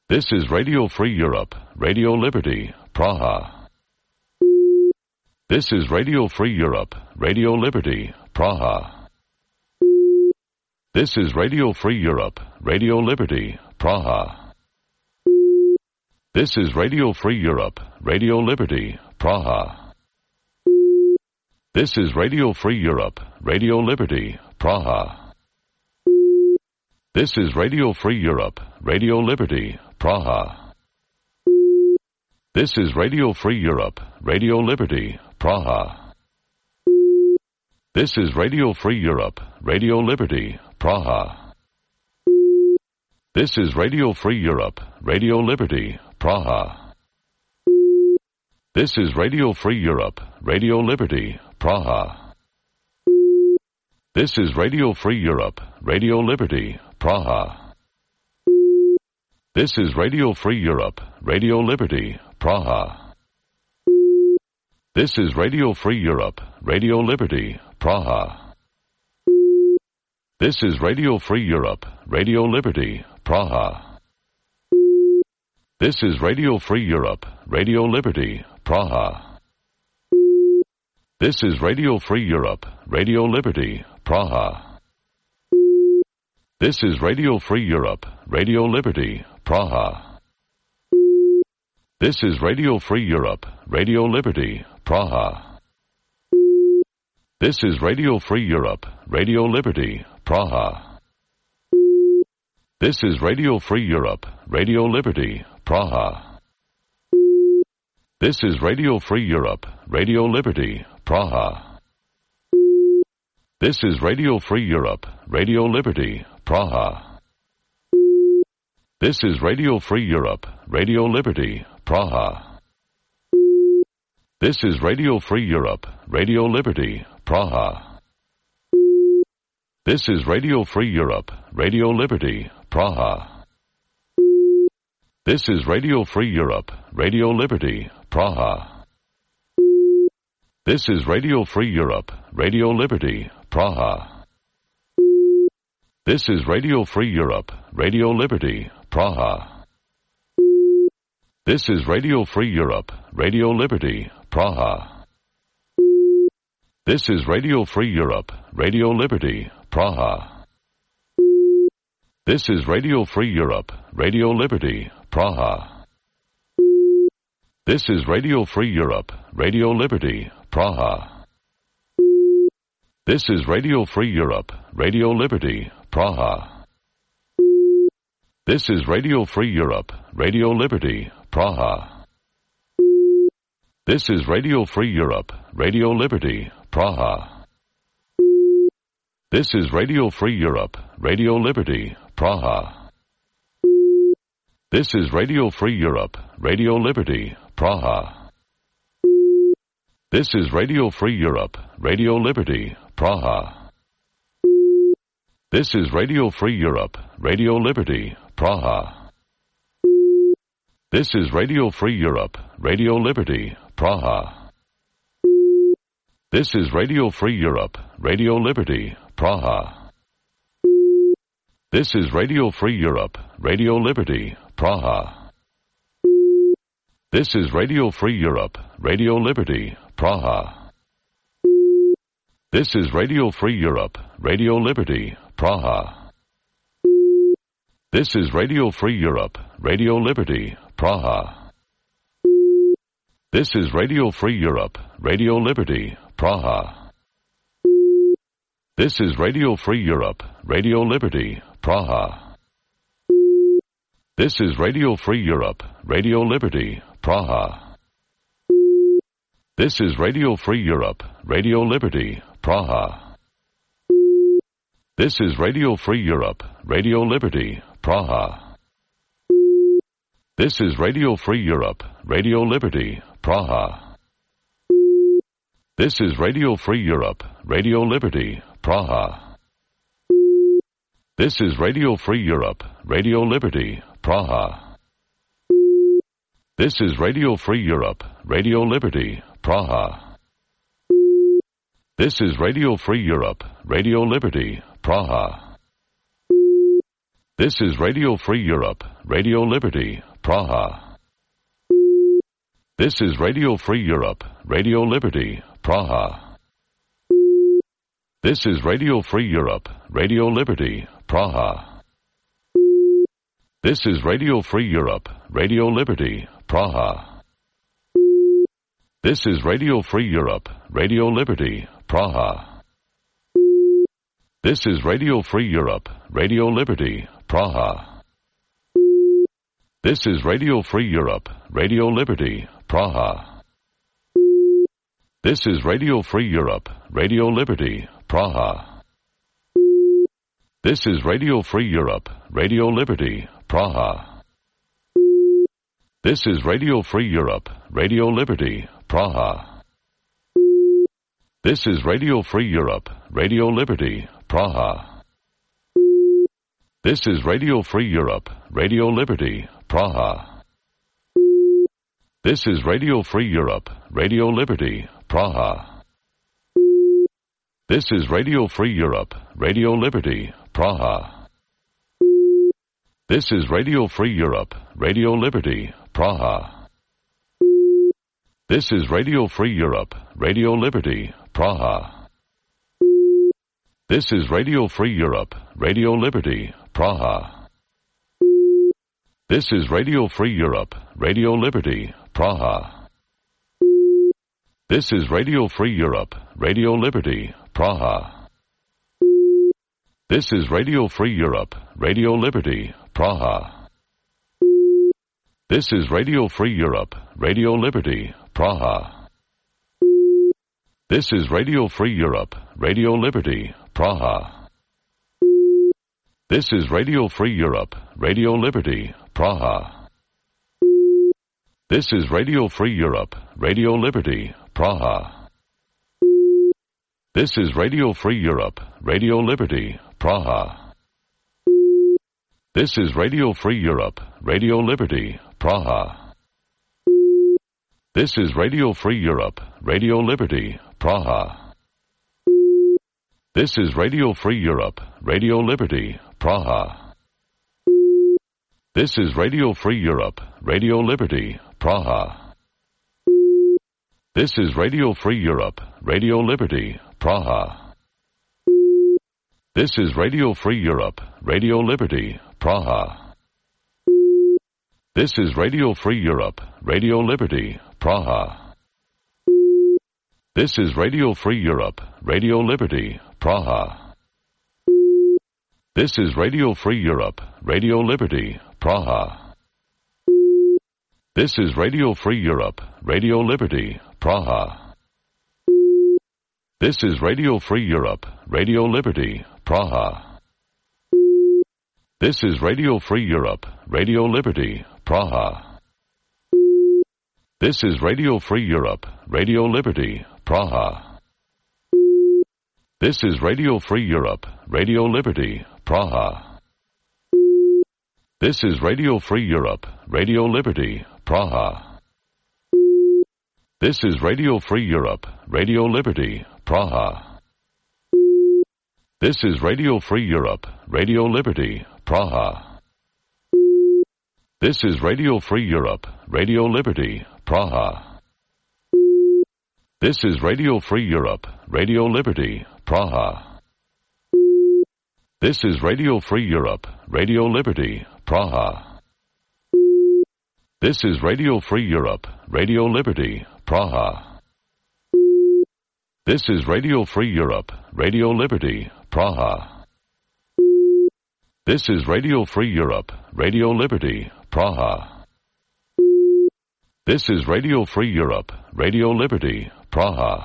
This is Radio Free Europe, Radio Liberty, Praha. This is Radio Free Europe, Radio Liberty, Praha. This is Radio Free Europe, Radio Liberty, Praha. This is Radio Free Europe, Radio Liberty, Praha. This is Radio Free Europe, Radio Liberty, Praha. This is Radio Free Europe, Radio Liberty, Praha. This is Radio Free Europe, Radio Liberty, Praha. This is Radio Free Europe, Radio Liberty, Praha. This is Radio Free Europe, Radio Liberty, Praha. This is Radio Free Europe, Radio Liberty, Praha. This is Radio Free Europe, Radio Liberty, Praha. This is Radio Free Europe, Radio Liberty, Praha. This is Radio Free Europe, Radio Liberty, Praha. This is Radio Free Europe, Radio Liberty, Praha. This is Radio Free Europe, Radio Liberty, Praha. This is Radio Free Europe, Radio Liberty, Praha. This is Radio Free Europe, Radio Liberty, Praha. This is Radio Free Europe, Radio Liberty, Praha. This is Radio Free Europe, Radio Liberty, Praha. This is Radio Free Europe, Radio Liberty, Praha. This is Radio Free Europe, Radio Liberty, Praha. This is Radio Free Europe, Radio Liberty, Praha. This is Radio Free Europe, Radio Liberty, Praha. This is Radio Free Europe, Radio Liberty, Praha. This is Radio Free Europe, Radio Liberty, Praha. This is Radio Free Europe, Radio Liberty, Praha. This is Radio Free Europe, Radio Liberty, Praha. This is Radio Free Europe, Radio Liberty, Praha. This is Radio Free Europe, Radio Liberty, Praha. This is Radio Free Europe, Radio Liberty, Praha. This is Radio Free Europe, Radio Liberty, Praha. This is Radio Free Europe, Radio Liberty, Praha. This is Radio Free Europe, Radio Liberty, Praha. This is Radio Free Europe, Radio Liberty, Praha. This is Radio Free Europe, Radio Liberty, Praha. This is Radio Free Europe, Radio Liberty, Praha. This is Radio Free Europe, Radio Liberty, Praha. This is Radio Free Europe, Radio Liberty, Praha. This is Radio Free Europe, Radio Liberty, Praha. This is Radio Free Europe, Radio Liberty, Praha. This is Radio Free Europe, Radio Liberty, Praha. This is Radio Free Europe, Radio Liberty, Praha. This is Radio Free Europe, Radio Liberty, Praha. This is Radio Free Europe, Radio Liberty, Praha. This is Radio Free Europe, Radio Liberty, Praha. This is Radio Free Europe, Radio Liberty, Praha. This is Radio Free Europe, Radio Liberty, Praha. This is Radio Free Europe, Radio Liberty, Praha. This is Radio Free Europe, Radio Liberty, Praha. This is Radio Free Europe, Radio Liberty, Praha. This is Radio Free Europe, Radio Liberty, Praha. This is Radio Free Europe, Radio Liberty, Praha. This is Radio Free Europe, Radio Liberty, Praha. This is Radio Free Europe, Radio Liberty, Praha. This is Radio Free Europe, Radio Liberty, Praha. This is Radio Free Europe, Radio Liberty, Praha. This is Radio Free Europe, Radio Liberty, Praha. This is Radio Free Europe, Radio Liberty, Praha. This is Radio Free Europe, Radio Liberty, Praha. This is Radio Free Europe, Radio Liberty, Praha. This is Radio Free Europe, Radio Liberty, Praha. This is Radio Free Europe, Radio Liberty, Praha. This is Radio Free Europe, Radio Liberty, Praha. This is Radio Free Europe, Radio Liberty, Praha. This is Radio Free Europe, Radio Liberty, Praha. This is Radio Free Europe, Radio Liberty, Praha. This is Radio Free Europe, Radio Liberty, Praha. This is Radio Free Europe, Radio Liberty, Praha. This is Radio Free Europe, Radio Liberty, Praha. This is Radio Free Europe, Radio Liberty, Praha. This is Radio Free Europe, Radio Liberty, Praha. This is Radio Free Europe, Radio Liberty, Praha. This is Radio Free Europe, Radio Liberty, Praha. This is Radio Free Europe, Radio Liberty, Praha. This is Radio Free Europe, Radio Liberty, Praha. This is Radio Free Europe, Radio Liberty, Praha. This is Radio Free Europe, Radio Liberty, Praha. This is Radio Free Europe, Radio Liberty, Praha. This is Radio Free Europe, Radio Liberty, Praha. This is Radio Free Europe, Radio Liberty, Praha. This is Radio Free Europe, Radio Liberty, Praha. This is Radio Free Europe, Radio Liberty, Praha. This is Radio Free Europe, Radio Liberty, Praha. This is Radio Free Europe, Radio Liberty, Praha. This is Radio Free Europe, Radio Liberty, Praha. This is Radio Free Europe, Radio Liberty, Praha. This is Radio Free Europe, Radio Liberty, Praha. This is Radio Free Europe, Radio Liberty, Praha. This is Radio Free Europe, Radio Liberty, Praha. This is Radio Free Europe, Radio Liberty, Praha. This is Radio Free Europe, Radio Liberty, Praha. This is Radio Free Europe, Radio Liberty, Praha. This is Radio Free Europe, Radio Liberty, Praha. This is Radio Free Europe, Radio Liberty, Praha. This is Radio Free Europe, Radio Liberty, Praha. This is Radio Free Europe, Radio Liberty, Praha. This is Radio Free Europe, Radio Liberty, Praha. This is Radio Free Europe, Radio Liberty, Praha. This is Radio Free Europe, Radio Liberty, Praha. This is Radio Free Europe, Radio Liberty, Praha. This is Radio Free Europe, Radio Liberty, Praha. This is Radio Free Europe, Radio Liberty, Praha. This is Radio Free Europe, Radio Liberty, Praha.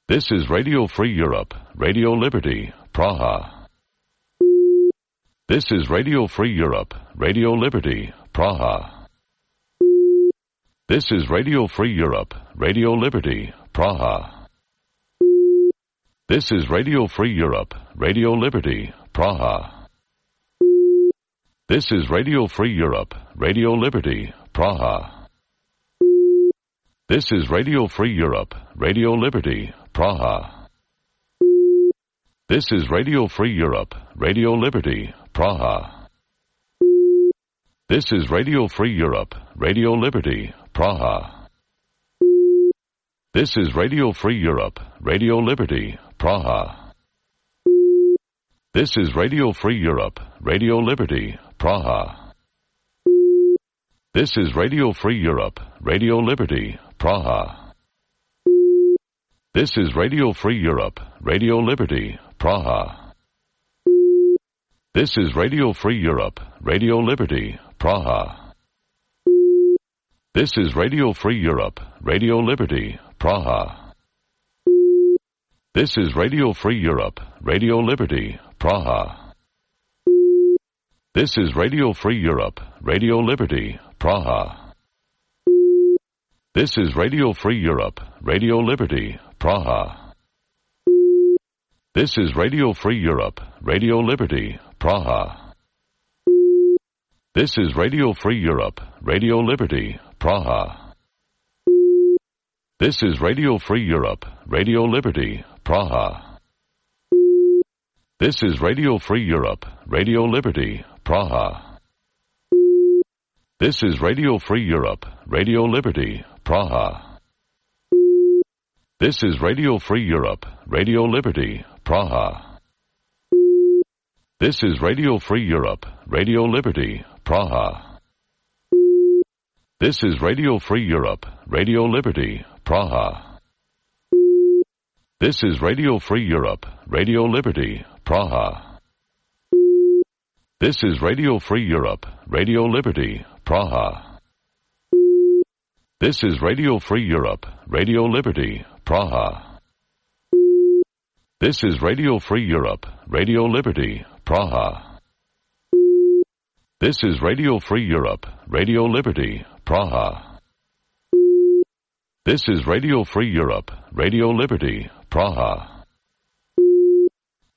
This is Radio Free Europe, Radio Liberty, Praha. This is Radio Free Europe, Radio Liberty, Praha. This is Radio Free Europe, Radio Liberty, Praha. This is Radio Free Europe, Radio Liberty, Praha. This is Radio Free Europe, Radio Liberty, Praha. This is Radio Free Europe, Radio Liberty, Praha. This is Radio Free Europe, Radio Liberty, Praha. This is Radio Free Europe, Radio Liberty, Praha. This is Radio Free Europe, Radio Liberty, Praha. This is Radio Free Europe, Radio Liberty, Praha. This is Radio Free Europe, Radio Liberty, Praha. This is Radio Free Europe, Radio Liberty, Praha. This is Radio Free Europe, Radio Liberty, Praha. This is Radio Free Europe, Radio Liberty, Praha. This is Radio Free Europe, Radio Liberty, Praha. This is Radio Free Europe, Radio Liberty, Praha. This is Radio Free Europe, Radio Liberty, Praha. This is Radio Free Europe, Radio Liberty, Praha. This is Radio Free Europe, Radio Liberty, Praha. This is Radio Free Europe, Radio Liberty, Praha. This is Radio Free Europe, Radio Liberty, Praha. This is Radio Free Europe, Radio Liberty, Praha. This is Radio Free Europe, Radio Liberty, Praha. This is Radio Free Europe, Radio Liberty, Praha. This is Radio Free Europe, Radio Liberty, Praha. This is Radio Free Europe, Radio Liberty, Praha. This is Radio Free Europe, Radio Liberty, Praha. This is Radio Free Europe, Radio Liberty, Praha. This is Radio Free Europe, Radio Liberty, Praha. This is Radio Free Europe, Radio Liberty, Praha. This is Radio Free Europe, Radio Liberty, Praha. This is Radio Free Europe, Radio Liberty, Praha.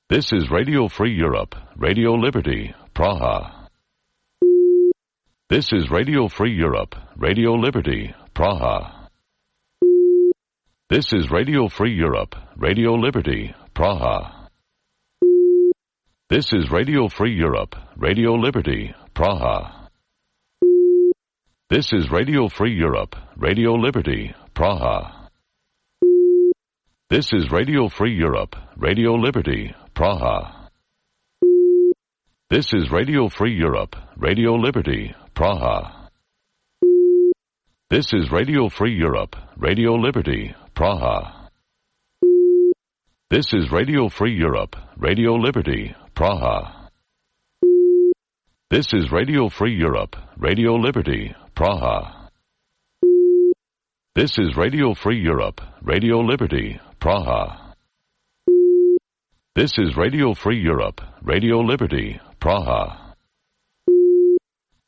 This is Radio Free Europe, Radio Liberty, Praha. This is Radio Free Europe, Radio Liberty, Praha. This is Radio Free Europe, Radio Liberty, Praha. This is Radio Free Europe, Radio Liberty, Praha. This is Radio Free Europe, Radio Liberty, Praha. This is Radio Free Europe, Radio Liberty, Praha. This is Radio Free Europe, Radio Liberty, Praha. This is Radio Free Europe, Radio Liberty, Praha. This is Radio Free Europe, Radio Liberty, Praha. This is Radio Free Europe, Radio Liberty, Praha. This is Radio Free Europe, Radio Liberty, Praha. This is Radio Free Europe, Radio Liberty, Praha.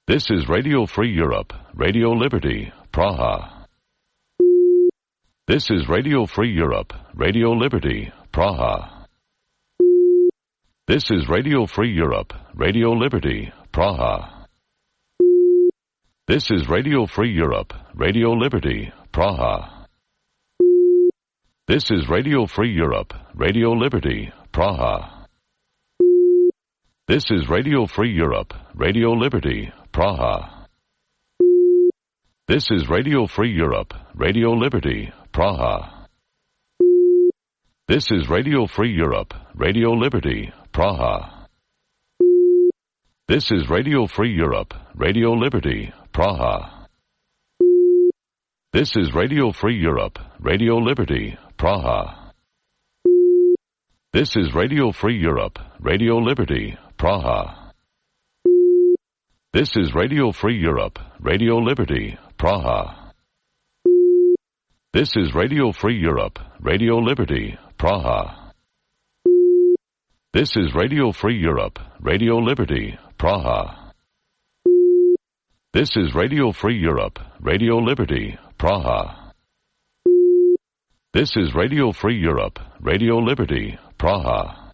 This is Radio Free Europe, Radio Liberty, Praha. This is Radio Free Europe, Radio Liberty, Praha. This is Radio Free Europe, Radio Liberty, Praha. This is Radio Free Europe, Radio Liberty, Praha. This is Radio Free Europe, Radio Liberty, Praha. This is Radio Free Europe, Radio Liberty, Praha. This is Radio Free Europe, Radio Liberty, Praha. This is Radio Free Europe, Radio Liberty, Praha. This is Radio Free Europe, Radio Liberty, Praha. This is Radio Free Europe, Radio Liberty, Praha. This is Radio Free Europe, Radio Liberty, Praha. This is Radio Free Europe, Radio Liberty, Praha. This is Radio Free Europe, Radio Liberty, Praha. This is Radio Free Europe, Radio Liberty, Praha. This is Radio Free Europe, Radio Liberty, Praha. This is Radio Free Europe, Radio Liberty, Praha.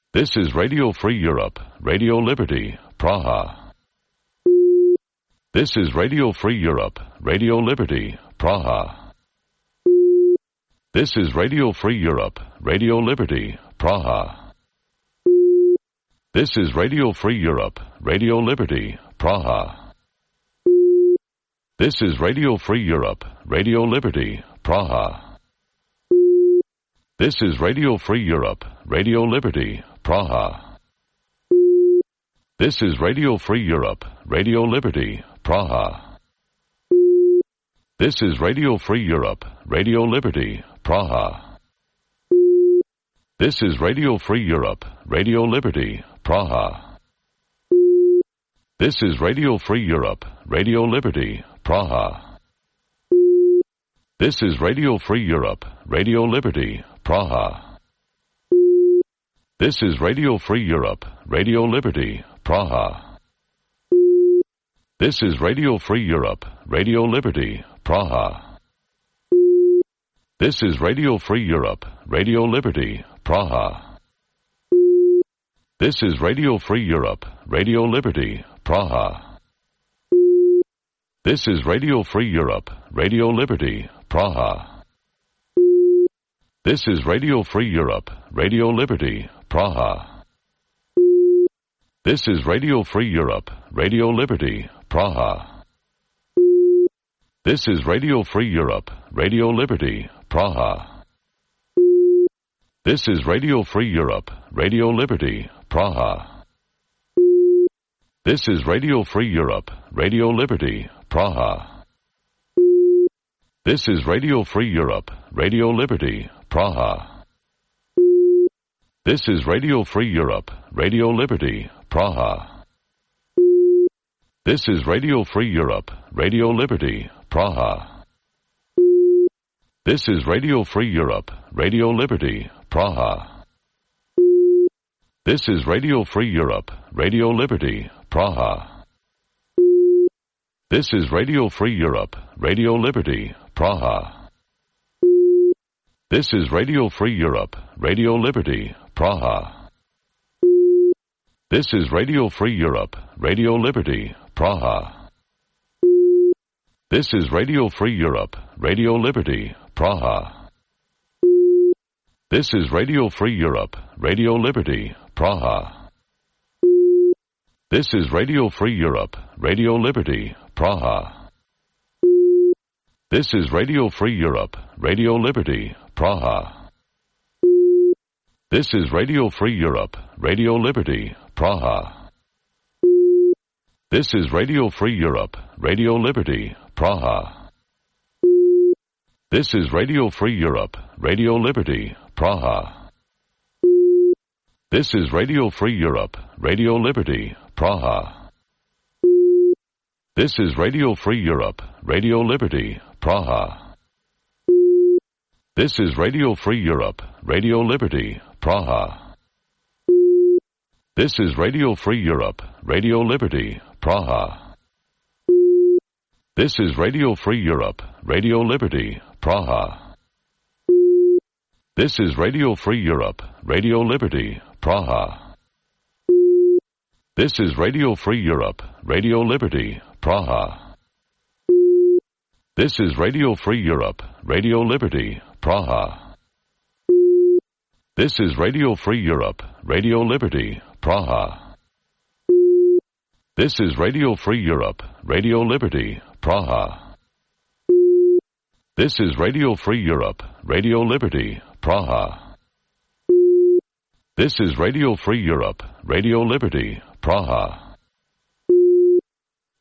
This is Radio Free Europe, Radio Liberty, Praha. This is Radio Free Europe, Radio Liberty, Praha. This is Radio Free Europe, Radio Liberty, Praha. This is Radio Free Europe, Radio Liberty, Praha. This is Radio Free Europe, Radio Liberty, Praha. This is Radio Free Europe, Radio Liberty, Praha. This is Radio Free Europe, Radio Liberty, Praha. This is Radio Free Europe, Radio Liberty, Praha. This is Radio Free Europe, Radio Liberty, Praha. This is Radio Free Europe, Radio Liberty, Praha. This is Radio Free Europe, Radio Liberty, Praha. This is Radio Free Europe, Radio Liberty, Praha. This is Radio Free Europe, Radio Liberty, Praha. This is Radio Free Europe, Radio Liberty, Praha. This is Radio Free Europe, Radio Liberty, Praha. This is Radio Free Europe, Radio Liberty, Praha. This is Radio Free Europe, Radio Liberty, Praha. This is Radio Free Europe, Radio Liberty, Praha. This is Radio Free Europe, Radio Liberty, Praha. This is Radio Free Europe, Radio Liberty, Praha. This is Radio Free Europe, Radio Liberty, Praha. This is Radio Free Europe, Radio Liberty, Praha. This is Radio Free Europe, Radio Liberty, Praha. This is Radio Free Europe, Radio Liberty, Praha. This is Radio Free Europe, Radio Liberty, Praha. This is Radio Free Europe, Radio Liberty, Praha. This is Radio Free Europe, Radio Liberty, Praha. This is Radio Free Europe, Radio Liberty, Praha. This is Radio Free Europe, Radio Liberty, Praha. This is Radio Free Europe, Radio Liberty, Praha. This is Radio Free Europe, Radio Liberty, Praha. This is Radio Free Europe, Radio Liberty, Praha. This is Radio Free Europe, Radio Liberty, Praha. This is Radio Free Europe, Radio Liberty, Praha. This is Radio Free Europe, Radio Liberty, Praha. This is Radio Free Europe, Radio Liberty, Praha. This is Radio Free Europe, Radio Liberty, Praha. This is Radio Free Europe, Radio Liberty, Praha. This is Radio Free Europe, Radio Liberty, Praha. This is Radio Free Europe, Radio Liberty, Praha. This is Radio Free Europe, Radio Liberty, Praha. This is Radio Free Europe, Radio Liberty, Praha. This is Radio Free Europe, Radio Liberty, Praha. This is Radio Free Europe, Radio Liberty, Praha. This is Radio Free Europe, Radio Liberty, Praha. This is Radio Free Europe, Radio Liberty, Praha. This is Radio Free Europe, Radio Liberty, Praha. This is Radio Free Europe, Radio Liberty, Praha.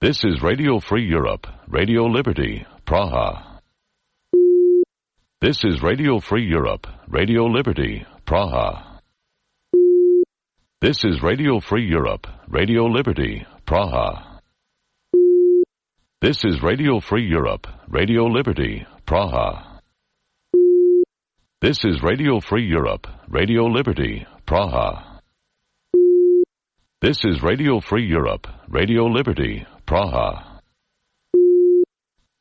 This is Radio Free Europe, Radio Liberty, Praha. This is Radio Free Europe, Radio Liberty, Praha. This is Radio Free Europe, Radio Liberty, Praha. This is Radio Free Europe, Radio Liberty, Praha. This is Radio Free Europe, Radio Liberty, Praha. This is Radio Free Europe, Radio Liberty, Praha.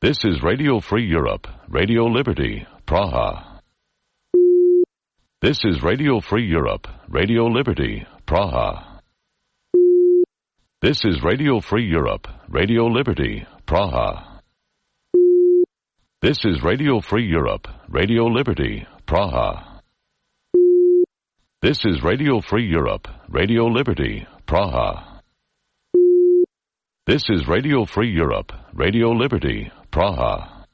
This is Radio Free Europe, Radio Liberty, Praha. This is Radio Free Europe, Radio Liberty, Praha. This is Radio Free Europe, Radio Liberty, Praha. This is Radio Free Europe, Radio Liberty, Praha. This is Radio Free Europe, Radio Liberty, Praha. This is Radio Free Europe, Radio Liberty, Praha.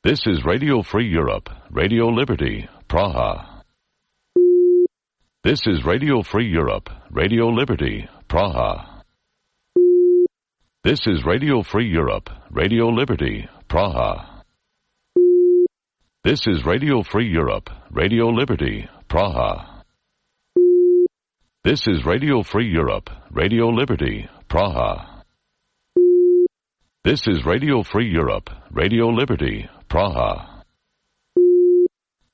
This is Radio Free Europe, Radio Liberty, Praha. This is Radio Free Europe, Radio Liberty, Praha. This is Radio Free Europe, Radio Liberty, Praha. This is Radio Free Europe, Radio Liberty, Praha. This is Radio Free Europe, Radio Liberty, Praha. This is Radio Free Europe, Radio Liberty, Praha.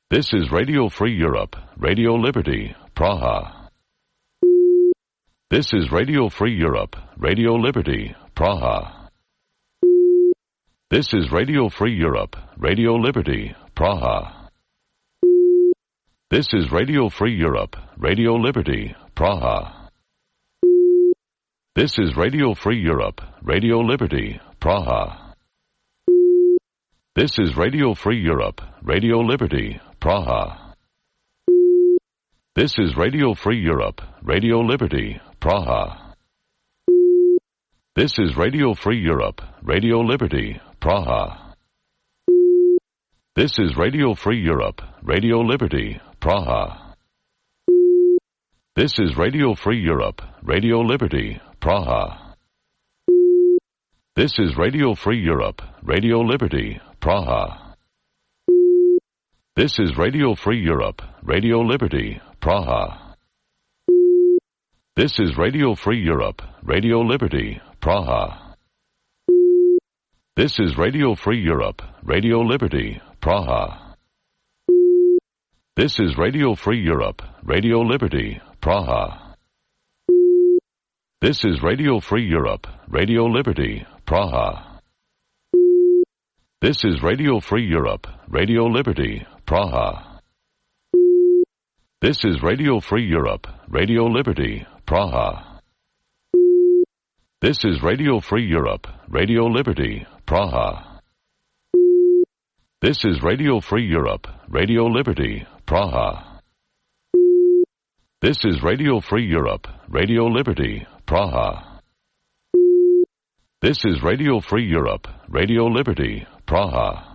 This is Radio Free Europe, Radio Liberty, Praha. This is Radio Free Europe, Radio Liberty, Praha. This is Radio Free Europe, Radio Liberty, Praha. This is Radio Free Europe, Radio Liberty, Praha. This is Radio Free Europe, Radio Liberty, Praha. This is Radio Free Europe, Radio Liberty, Praha. This is Radio Free Europe, Radio Liberty, Praha. This is Radio Free Europe, Radio Liberty, Praha. This is Radio Free Europe, Radio Liberty, Praha. This is Radio Free Europe, Radio Liberty, Praha. This is Radio Free Europe, Radio Liberty, Praha. This is Radio Free Europe, Radio Liberty, Praha. This is Radio Free Europe, Radio Liberty, Praha. This is Radio Free Europe, Radio Liberty, Praha. This is Radio Free Europe, Radio Liberty, Praha. This is Radio Free Europe, Radio Liberty, Praha. This is Radio Free Europe, Radio Liberty, Praha. This is Radio Free Europe, Radio Liberty, Praha. This is Radio Free Europe, Radio Liberty, Praha. This is Radio Free Europe, Radio Liberty, Praha. This is Radio Free Europe, Radio Liberty, Praha. This is Radio Free Europe, Radio Liberty, Praha.